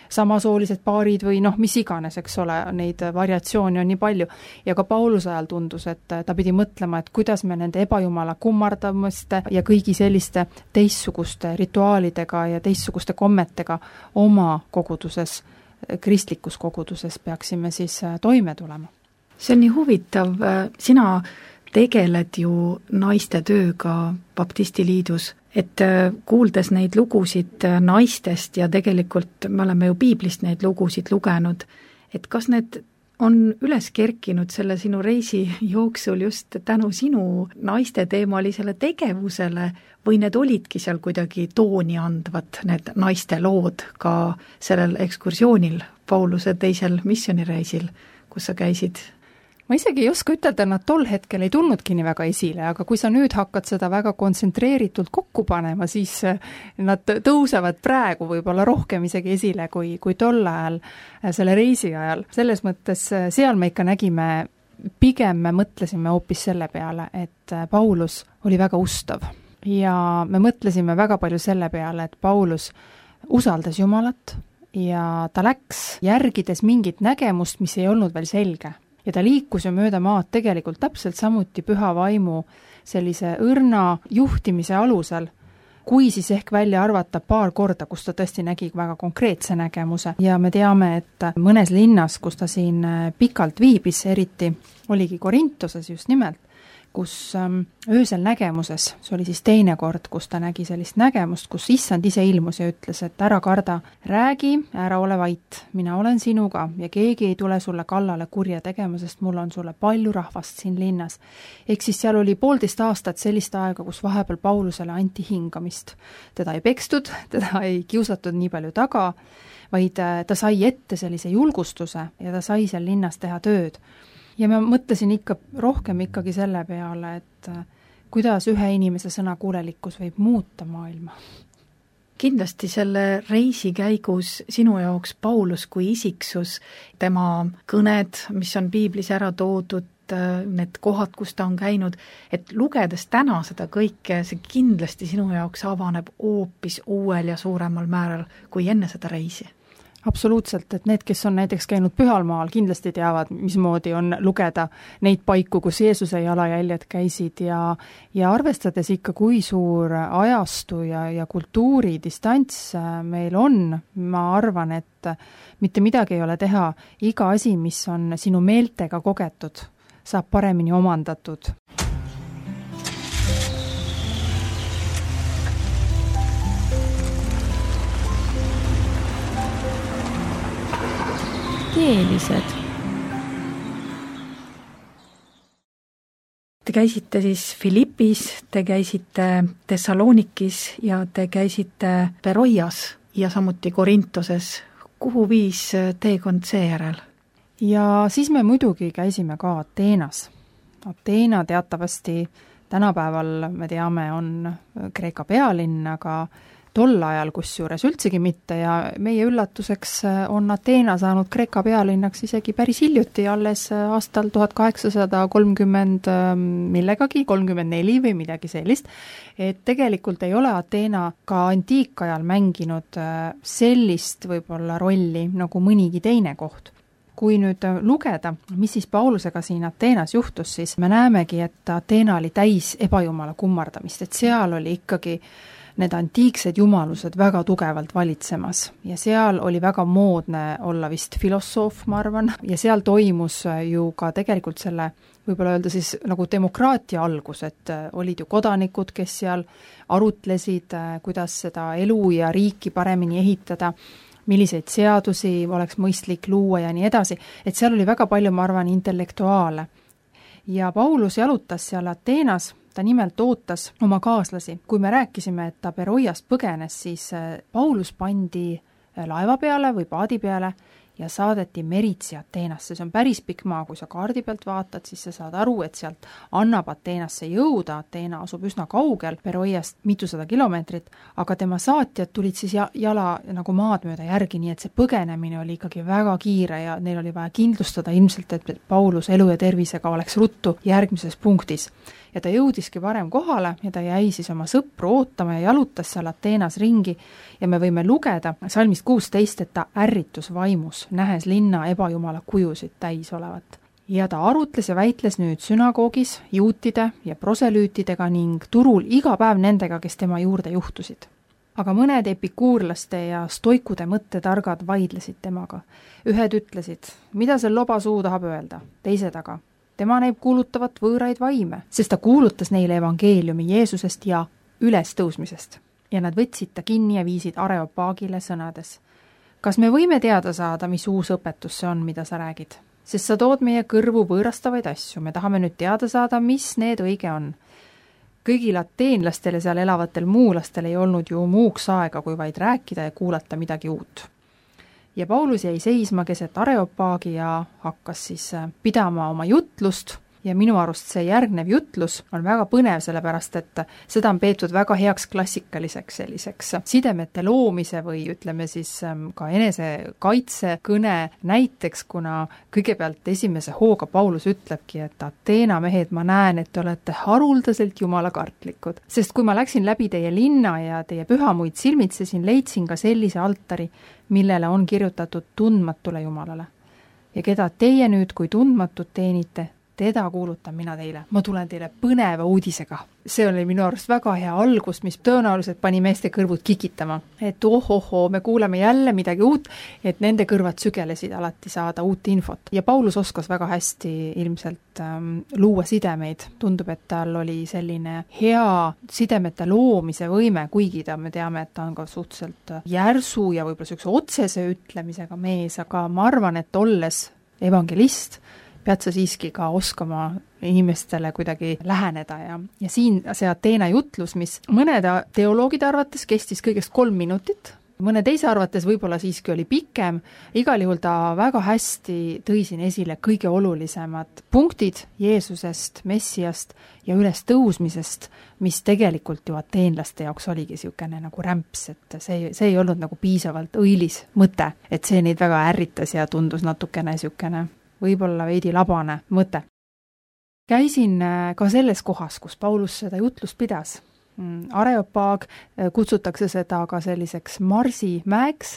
Samasoolised paarid või mis iganes, eks ole, neid variatsioone on nii palju. Ja ka Pauluse ajal tundus, et ta pidi mõtlema, et kuidas me nende ebajumala kummardamiste ja kõigi selliste teistsuguste rituaalidega ja teistsuguste kommetega oma koguduses, kristlikus koguduses peaksime siis toime tulema. See on nii huvitav, sina tegeled ju naiste tööga baptistiliidus, et kuuldes neid lugusid naistest ja tegelikult me oleme ju piiblist neid lugusid lugenud, et kas need on üles kerkinud selle sinu reisi jooksul just tänu sinu naiste teemalisele tegevusele või need olidki seal kuidagi tooni andvad, need naiste lood ka sellel ekskursioonil Pauluse teisel missioonireisil, kus sa käisid? Ma isegi ei oska ütelda, nad tol hetkel ei tulnudki nii väga esile, aga kui sa nüüd hakkad seda väga kontsentreeritult kokku panema, siis nad tõusevad praegu võib-olla rohkem isegi esile kui tol ajal, selle reisi ajal. Selles mõttes seal me ikka nägime, pigem me mõtlesime hoopis selle peale, et Paulus oli väga ustav. Ja me mõtlesime väga palju selle peale, et Paulus usaldas Jumalat ja ta läks järgides mingit nägemust, mis ei olnud veel selge. Ja ta liikus ju mööda maad tegelikult täpselt samuti püha vaimu sellise õrna juhtimise alusel, kui siis ehk välja arvata paar korda, kus ta tõesti nägi väga konkreetse nägemuse. Ja me teame, et mõnes linnas, kus ta siin pikalt viibis, eriti oligi Korintoses just nimelt, kus öösel nägemuses, see oli siis teine kord, kus ta nägi sellist nägemust, kus issand ise ilmus ja ütles, et ära karda, räägi, ära ole vait, mina olen sinuga ja keegi ei tule sulle kallale kurja tegema, sest mul on sulle palju rahvast siin linnas. Ehk siis seal oli 1,5 aastat sellist aega, kus vahepeal Paulusele anti hingamist. Teda ei pekstud, teda ei kiusatud nii palju taga, vaid ta sai ette sellise julgustuse ja ta sai seal linnas teha tööd. Ja ma mõtlesin ikka rohkem ikkagi selle peale, et kuidas ühe inimese sõnakuulelikkus võib muuta maailma. Kindlasti selle reisi käigus sinu jaoks Paulus kui isiksus, tema kõned, mis on piiblis ära toodud, need kohad, kus ta on käinud, et lugedes täna seda kõike, see kindlasti sinu jaoks avaneb hoopis uuel ja suuremal määral kui enne seda reisi. Absoluutselt, et need, kes on näiteks käinud Pühalmaal, kindlasti teavad, mismoodi on lugeda neid paiku, kus Jeesuse jalajäljed käisid ja arvestades ikka, kui suur ajastu ja kultuuri distants meil on, ma arvan, et mitte midagi ei ole teha, iga asi, mis on sinu meeltega kogetud, saab paremini omandatud. Teelised. Te käisite siis Philippis, te käisite Thessalonikis ja te käisite Beroias ja samuti Korintoses. Kuhu viis teekond seejärel? Ja siis me muidugi käisime ka Ateenas. Ateena teatavasti tänapäeval, me teame, on Kreeka pealinn, aga tol ajal kusjuures üldsegi mitte ja meie üllatuseks on Ateena saanud Kreeka pealinnaks isegi päris hiljuti, alles aastal 1830 millegagi, 34 või midagi sellist, et tegelikult ei ole Ateena ka antiikajal mänginud sellist võib-olla rolli nagu mõnigi teine koht. Kui nüüd lugeda, mis siis Paulusega siin Ateenas juhtus, siis me näemegi, et Ateena oli täis ebajumala kummardamist, et seal oli ikkagi need antiiksed jumalused väga tugevalt valitsemas ja seal oli väga moodne olla vist filosoof, ma arvan, ja seal toimus ju ka tegelikult selle, võib-olla öelda siis nagu demokraatia algus, et olid ju kodanikud, kes seal arutlesid, kuidas seda elu ja riiki paremini ehitada, milliseid seadusi oleks mõistlik luua ja nii edasi, et seal oli väga palju, ma arvan, intellektuaale. Ja Paulus jalutas seal Ateenas, ta nimelt ootas oma kaaslasi. Kui me rääkisime, et ta Beroiast põgenes, siis Paulus pandi laeva peale või paadi peale ja saadeti meritsi Ateenasse. See on päris pikk maa, kui sa kaardi pealt vaatad, siis sa saad aru, et sealt annab Ateenasse jõuda. Ateena asub üsna kaugel Beroiast mitusada kilomeetrit, aga tema saatjad tulid siis jala nagu maad mööda järgi, nii et see põgenemine oli ikkagi väga kiire ja neil oli vaja kindlustada ilmselt, et Paulus elu ja tervisega oleks ruttu järgmises punktis. Ja ta jõudiski varem kohale ja ta jäi siis oma sõpru ootama ja jalutas seal Ateenas ringi ja me võime lugeda salmist 16, et ta ärritus vaimus, nähes linna ebajumala kujusid täis olevat. Ja ta arutles ja väitles nüüd sünagoogis, juutide ja proselüütidega ning turul iga päev nendega, kes tema juurde juhtusid. Aga mõned epikuurlaste ja stoikude mõttetargad vaidlesid temaga. Ühed ütlesid, mida see lobasuu tahab öelda, teised aga tema näib kuulutavat võõraid vaime, sest ta kuulutas neile evangeeliumi Jeesusest ja ülestõusmisest. Ja nad võtsid ta kinni ja viisid Areopaagile sõnades. Kas me võime teada saada, mis uus õpetus see on, mida sa räägid? Sest sa tood meie kõrvu võõrastavaid asju, me tahame nüüd teada saada, mis need õige on. Kõigil ateenlastel ja seal elavatel muulastel ei olnud ju muuks aega, kui vaid rääkida ja kuulata midagi uut. Ja Paulus jäi seisma keset Areopaagi ja hakkas siis pidama oma jutlust ja minu arust see järgnev jutlus on väga põnev, sellepärast et seda on peetud väga heaks klassikaliseks selliseks sidemete loomise või ütleme siis ka enesekaitse kõne näiteks, kuna kõigepealt esimese hooga Paulus ütlebki, et Ateena mehed, ma näen, et te olete haruldaselt jumalakartlikud. Sest kui ma läksin läbi teie linna ja teie pühamuid silmitsesin, leidsin ka sellise altari, millele on kirjutatud tundmatule Jumalale. Ja keda teie nüüd, kui tundmatut teenite, teda kuulutan mina teile. Ma tulen teile põneva uudisega. See oli minu arust väga hea algus, mis tõenäoliselt pani meeste kõrvud kikitama. Et me kuuleme jälle midagi uut, et nende kõrvad sügelesid alati saada uut infot. Ja Paulus oskas väga hästi ilmselt luua sidemeid. Tundub, et tal oli selline hea sidemete loomise võime, kuigi me teame, et ta on ka suhteliselt järsu ja võib-olla sellise otsese ütlemisega mees, aga ma arvan, et olles evangelist, pead sa siiski ka oskama inimestele kuidagi läheneda ja siin see Ateena jutlus, mis mõnede teoloogide arvates kestis kõigest 3 minutit, mõne teise arvates võib-olla siiski oli pikem, igal juhul ta väga hästi tõi siin esile kõige olulisemad punktid Jeesusest, Messiast ja ülestõusmisest, mis tegelikult ju ateenlaste jaoks oligi niisugune nagu rämps, et see ei olnud nagu piisavalt õilis mõte, et see neid väga ärritas ja tundus natukene niisugune võib-olla veidi labane mõte. Käisin ka selles kohas, kus Paulus seda jutlust pidas. Areopaag, kutsutakse seda ka selliseks marsimäeks,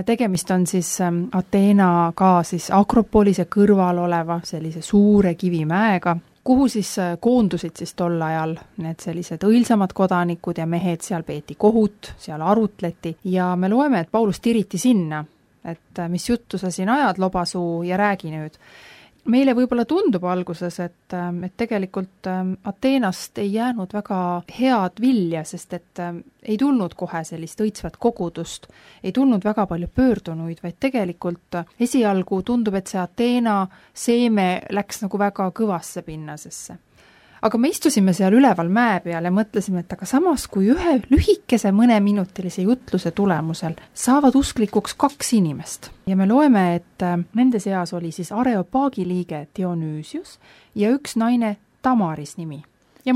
Tegemist on siis Ateena ka siis Akropolise kõrval oleva sellise suure kivimäega, kuhu siis koondusid siis tol ajal need sellised õilsamad kodanikud ja mehed, seal peeti kohut, seal arutleti ja me loeme, et Paulus tiriti sinna, et mis juttu sa siin ajad, lobasuu, ja räägi nüüd. Meile võib-olla tundub alguses, et tegelikult Ateenast ei jäänud väga head vilja, sest et ei tulnud kohe sellist õitsvat kogudust, ei tulnud väga palju pöördunuid, vaid tegelikult esialgu tundub, et see Ateena seeme läks nagu väga kõvasse pinnasesse. Aga me istusime seal üleval mäe peal ja mõtlesime, et aga samas kui ühe lühikese mõneminutilise jutluse tulemusel saavad usklikuks 2 inimest. Ja me loeme, et nende seas oli siis Areopaagi liige Dionüüsius ja üks naine Tamaris nimi. Ja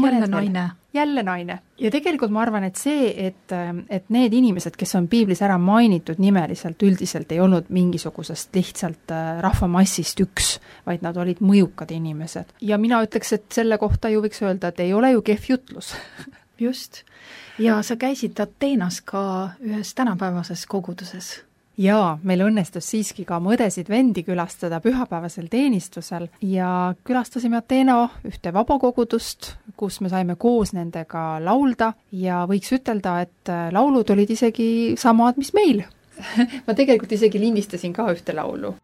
jälle naine. Ja tegelikult ma arvan, et see, et need inimesed, kes on piiblis ära mainitud nimeliselt, üldiselt ei olnud mingisugusest lihtsalt rahvamassist üks, vaid nad olid mõjukad inimesed. Ja mina ütleks, et selle kohta ju võiks öelda, et ei ole ju kehv jutlus. Just. Ja sa käisid Ateenas ka ühes tänapäevases koguduses. Jaa, meil õnnestus siiski ka mõdesid vendi külastada pühapäevasel teenistusel ja külastasime Ateena ühte vabakogudust, kus me saime koos nendega laulda ja võiks ütelda, et laulud olid isegi samad, mis meil. Ma tegelikult isegi lindistasin ka ühte laulu.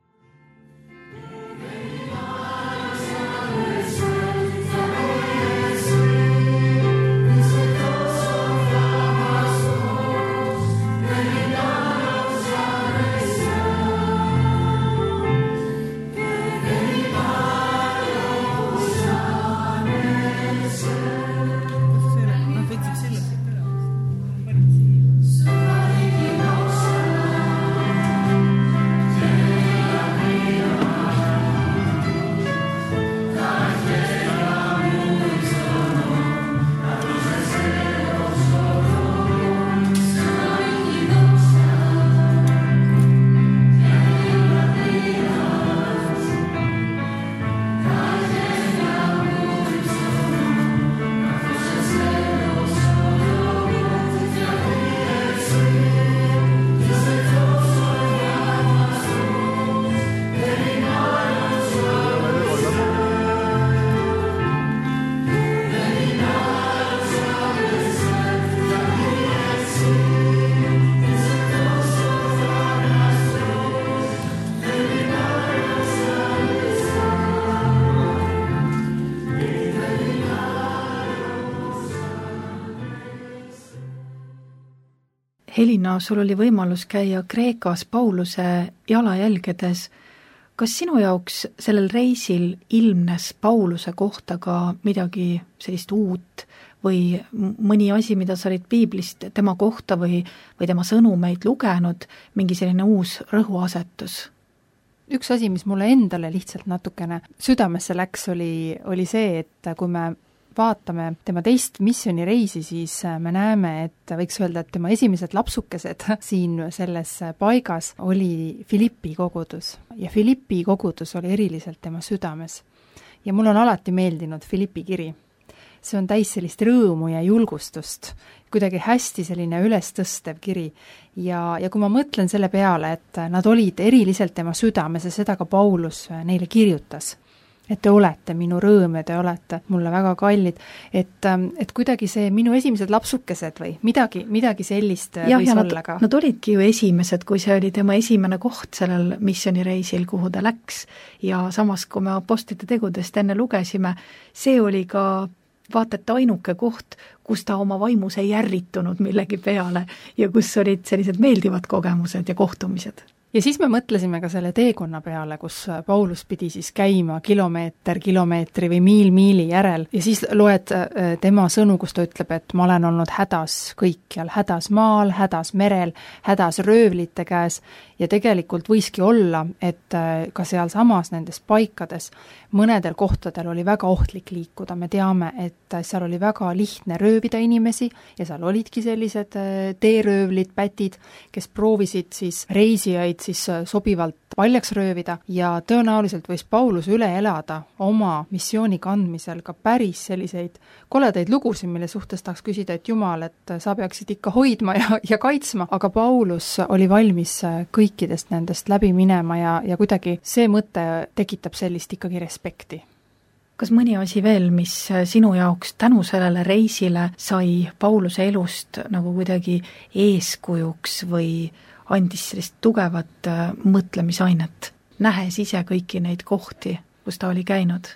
Helina, sul oli võimalus käia Kreekas Pauluse jalajälgedes. Kas sinu jaoks sellel reisil ilmnes Pauluse kohta ka midagi sellist uut või mõni asi, mida sa olid piiblist tema kohta või tema sõnumeid lugenud, mingi selline uus rõhuasetus? Üks asi, mis mulle endale lihtsalt natukene südamesse läks, oli see, et kui me vaatame tema teist missioonireisi, siis me näeme, et võiks öelda, et tema esimesed lapsukesed siin selles paigas oli Filippi kogudus. Ja Filippi kogudus oli eriliselt tema südames. Ja mul on alati meeldinud Filippi kiri. See on täis sellist rõõmu ja julgustust, kuidagi hästi selline ülestõstev kiri. Ja kui ma mõtlen selle peale, et nad olid eriliselt tema südames ja seda ka Paulus neile kirjutas, et te olete minu rõõm ja te olete mulle väga kallid, et kuidagi see minu esimesed lapsukesed või midagi sellist võis olla ka. Nad olidki ju esimesed, kui see oli tema esimene koht sellel missioonireisil, kuhu ta läks, ja samas, kui me apostlite tegudest enne lugesime, see oli ka vaata, et ainuke koht, kus ta oma vaimus ei ärritunud millegi peale ja kus olid sellised meeldivad kogemused ja kohtumised. Ja siis me mõtlesime ka selle teekonna peale, kus Paulus pidi siis käima kilomeetri või miili järel ja siis loed tema sõnu, kus ta ütleb, et ma olen olnud hädas kõikjal, hädas maal, hädas merel, hädas röövlite käes ja tegelikult võiski olla, et ka seal samas nendes paikades mõnedel kohtadel oli väga ohtlik liikuda, me teame, et seal oli väga lihtne röövida inimesi ja seal olidki sellised teeröövlid, pätid, kes proovisid siis reisijaid siis sobivalt paljaks röövida ja tõenäoliselt võis Paulus üle elada oma missiooni kandmisel ka päris selliseid koledaid lugusid, mille suhtes tahaks küsida, et Jumal, et sa peaksid ikka hoidma ja kaitsma, aga Paulus oli valmis kõikidest nendest läbi minema ja kuidagi see mõte tekitab sellist ikkagi respekti. Kas mõni asi veel, mis sinu jaoks tänu sellele reisile sai Pauluse elust nagu kuidagi eeskujuks või andis sellist tugevat mõtlemisainet, nähes ise kõiki neid kohti, kus ta oli käinud?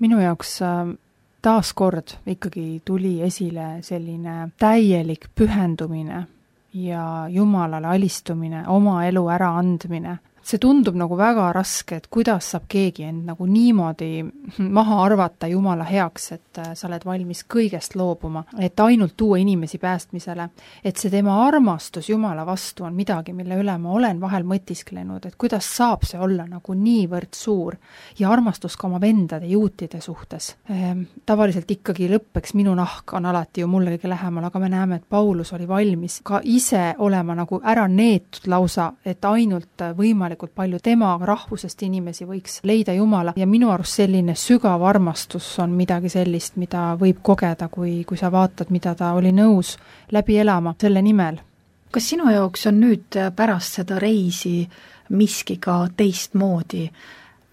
Minu jaoks taaskord ikkagi tuli esile selline täielik pühendumine ja Jumalale alistumine, oma elu ära andmine. See tundub nagu väga raske, et kuidas saab keegi end nagu niimoodi maha arvata Jumala heaks, et sa oled valmis kõigest loobuma, et ainult tuua inimesi päästmisele, et see tema armastus Jumala vastu on midagi, mille üle ma olen vahel mõtisklenud, et kuidas saab see olla nagu niivõrd suur ja armastus ka oma vendade juutide suhtes. Tavaliselt ikkagi lõppeks minu nahk on alati ju mulle kõige lähemal, aga me näeme, et Paulus oli valmis ka ise olema nagu ära neetud lausa, et ainult võimalikult palju tema rahvusest inimesi võiks leida Jumala ja minu arust selline sügav armastus on midagi sellist, mida võib kogeda, kui sa vaatad, mida ta oli nõus läbi elama selle nimel. Kas sinu jaoks on nüüd pärast seda reisi miski ka teistmoodi?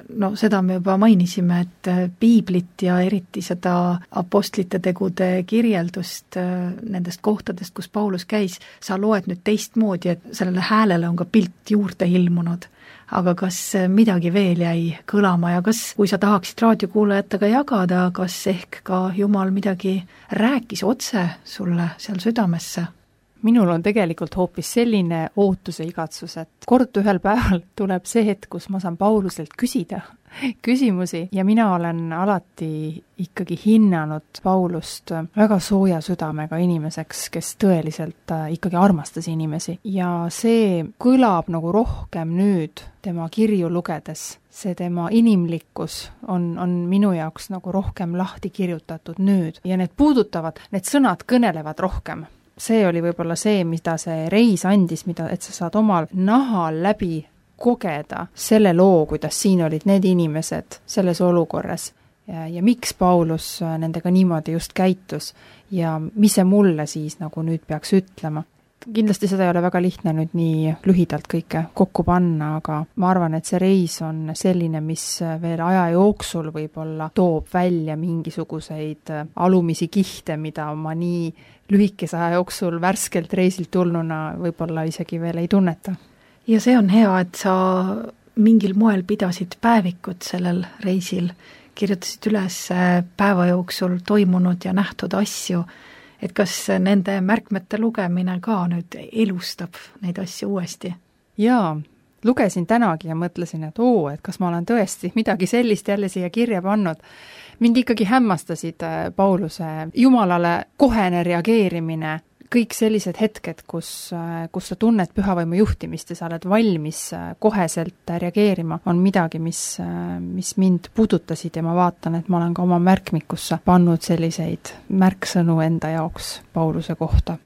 No seda me juba mainisime, et piiblit ja eriti seda apostlite tegude kirjeldust nendest kohtadest, kus Paulus käis, sa loed nüüd teistmoodi, et sellele häälele on ka pilt juurde ilmunud. Aga kas midagi veel jäi kõlama ja kas, kui sa tahaksid raadiokuulajatega jagada, kas ehk ka Jumal midagi rääkis otse sulle seal südamesse? Minul on tegelikult hoopis selline ootuse igatsus, et kord ühel päeval tuleb see hetk, kus ma saan Pauluselt küsida küsimusi ja mina olen alati ikkagi hinnanud Paulust väga sooja südamega inimeseks, kes tõeliselt ikkagi armastas inimesi ja see kõlab nagu rohkem nüüd tema kirju lugedes. See tema inimlikkus on minu jaoks nagu rohkem lahti kirjutatud nüüd ja need sõnad kõnelevad rohkem. See oli võib-olla see, mida see reis andis, et sa saad omal nahal läbi kogeda selle loo, kuidas siin olid need inimesed selles olukorras ja miks Paulus nendega niimoodi just käitus ja mis see mulle siis nagu nüüd peaks ütlema. Kindlasti seda ei ole väga lihtne nüüd nii lühidalt kõike kokku panna, aga ma arvan, et see reis on selline, mis veel aja jooksul võib-olla toob välja mingisuguseid alumisi kihte, mida ma nii lühikese aja jooksul värskelt reisilt tulnuna võib-olla isegi veel ei tunneta. Ja see on hea, et sa mingil moel pidasid päevikut sellel reisil, kirjutasid üles päeva jooksul toimunud ja nähtud asju, et kas nende märkmete lugemine ka nüüd elustab neid asju uuesti? Jaa, lugesin tänagi ja mõtlesin, et et kas ma olen tõesti midagi sellist jälle siia kirja pannud. Mind ikkagi hämmastasid Pauluse Jumalale kohene reageerimine, kõik sellised hetked, kus sa tunned pühavaimu juhtimist ja sa oled valmis koheselt reageerima, on midagi, mis mind puudutasid ja ma vaatan, et ma olen ka oma märkmikusse pannud selliseid märksõnu enda jaoks Pauluse kohta.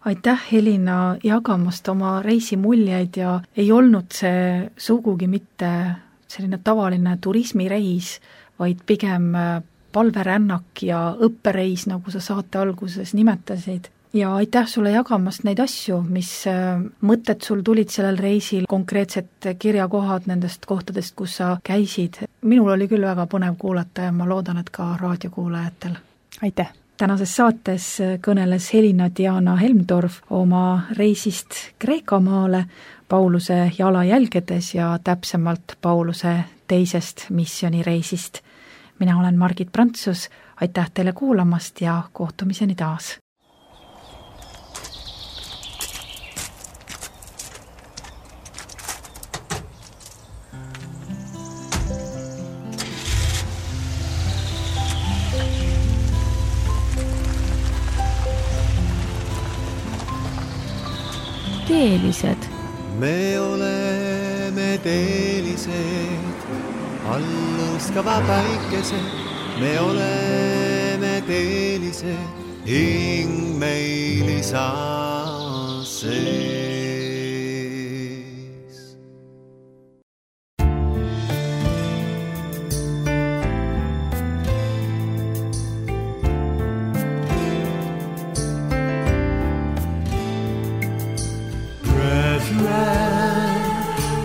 Aitäh, Helina, jagamast oma reisimuljeid ja ei olnud see sugugi mitte selline tavaline turismireis, vaid pigem palverännak ja õppereis, nagu sa saate alguses nimetasid. Ja aitäh sulle jagamast neid asju, mis mõtted sul tulid sellel reisil, konkreetsed kirjakohad nendest kohtadest, kus sa käisid. Minul oli küll väga põnev kuulata ja ma loodan, et ka raadiokuulajatel. Aitäh! Tänases saates kõneles Helina Diana Helmdorf oma reisist Kreekamaale Pauluse jalajälgedes ja täpsemalt Pauluse teisest missionireisist. Mina olen Margit Prantsus, aitäh teile kuulamast ja kohtumiseni taas! Keelised. me oleme teelised, allõõskava päikesed, me oleme teelised, hing meil isa sees.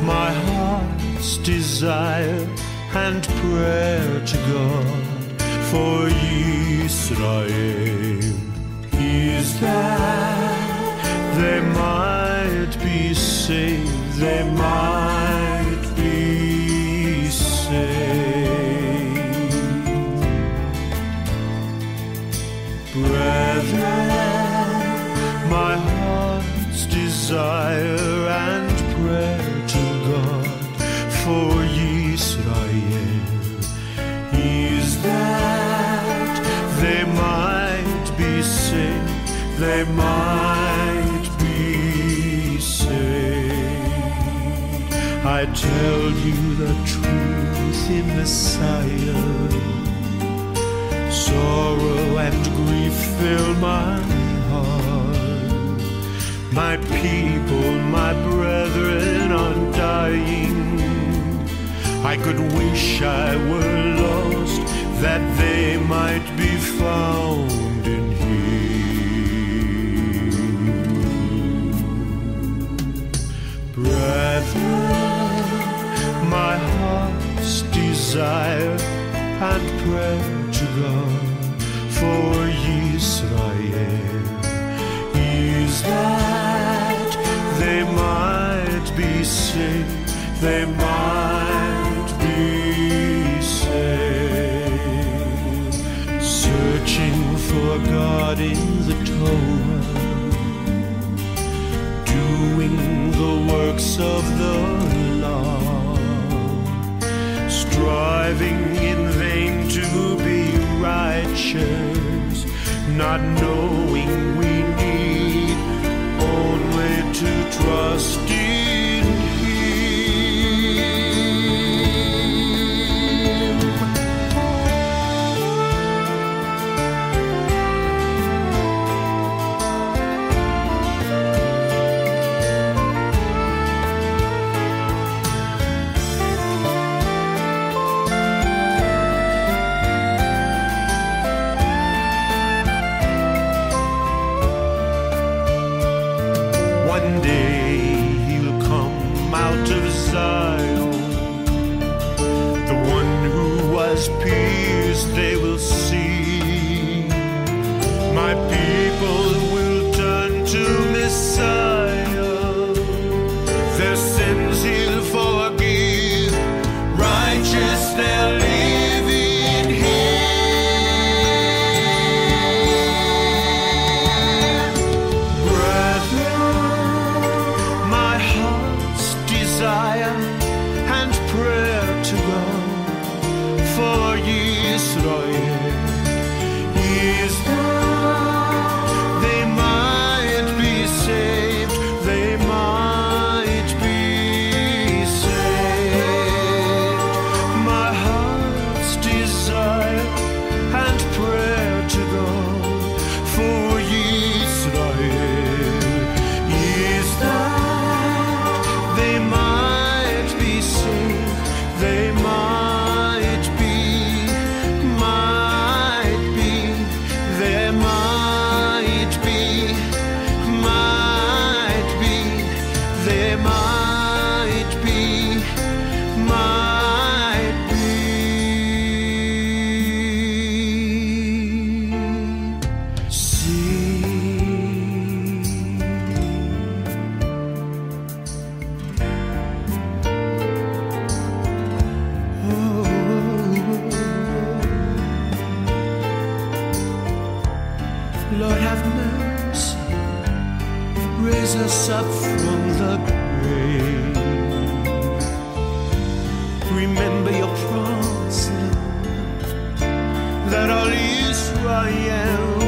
My heart's desire and prayer to God for Israel is that they might be saved, they might be saved. Brethren, my heart's desire and prayer to God for Israel is that they might be saved, they might be saved. I tell you the truth in Messiah, sorrow and grief fill my heart. My people, my brethren are dying. I could wish I were lost, that they might be found in Him. Brethren, my heart's desire and prayer to God for Israel is that they might be saved, they might be saved. Searching for God in the Torah, doing the works of the law, striving in vain to be righteous, not knowing we need only to trust in they will see. My people will turn to Messiah. Their sins He'll forgive. Righteous they'll live in Him. Brethren, my heart's desire and prayer to God for Israel is that they might be saved, they might be saved. My heart's desire and prayer to God for Israel is that they might be saved, they might Lord have mercy, raise us up from the grave. Remember your promise, Lord, that all Israel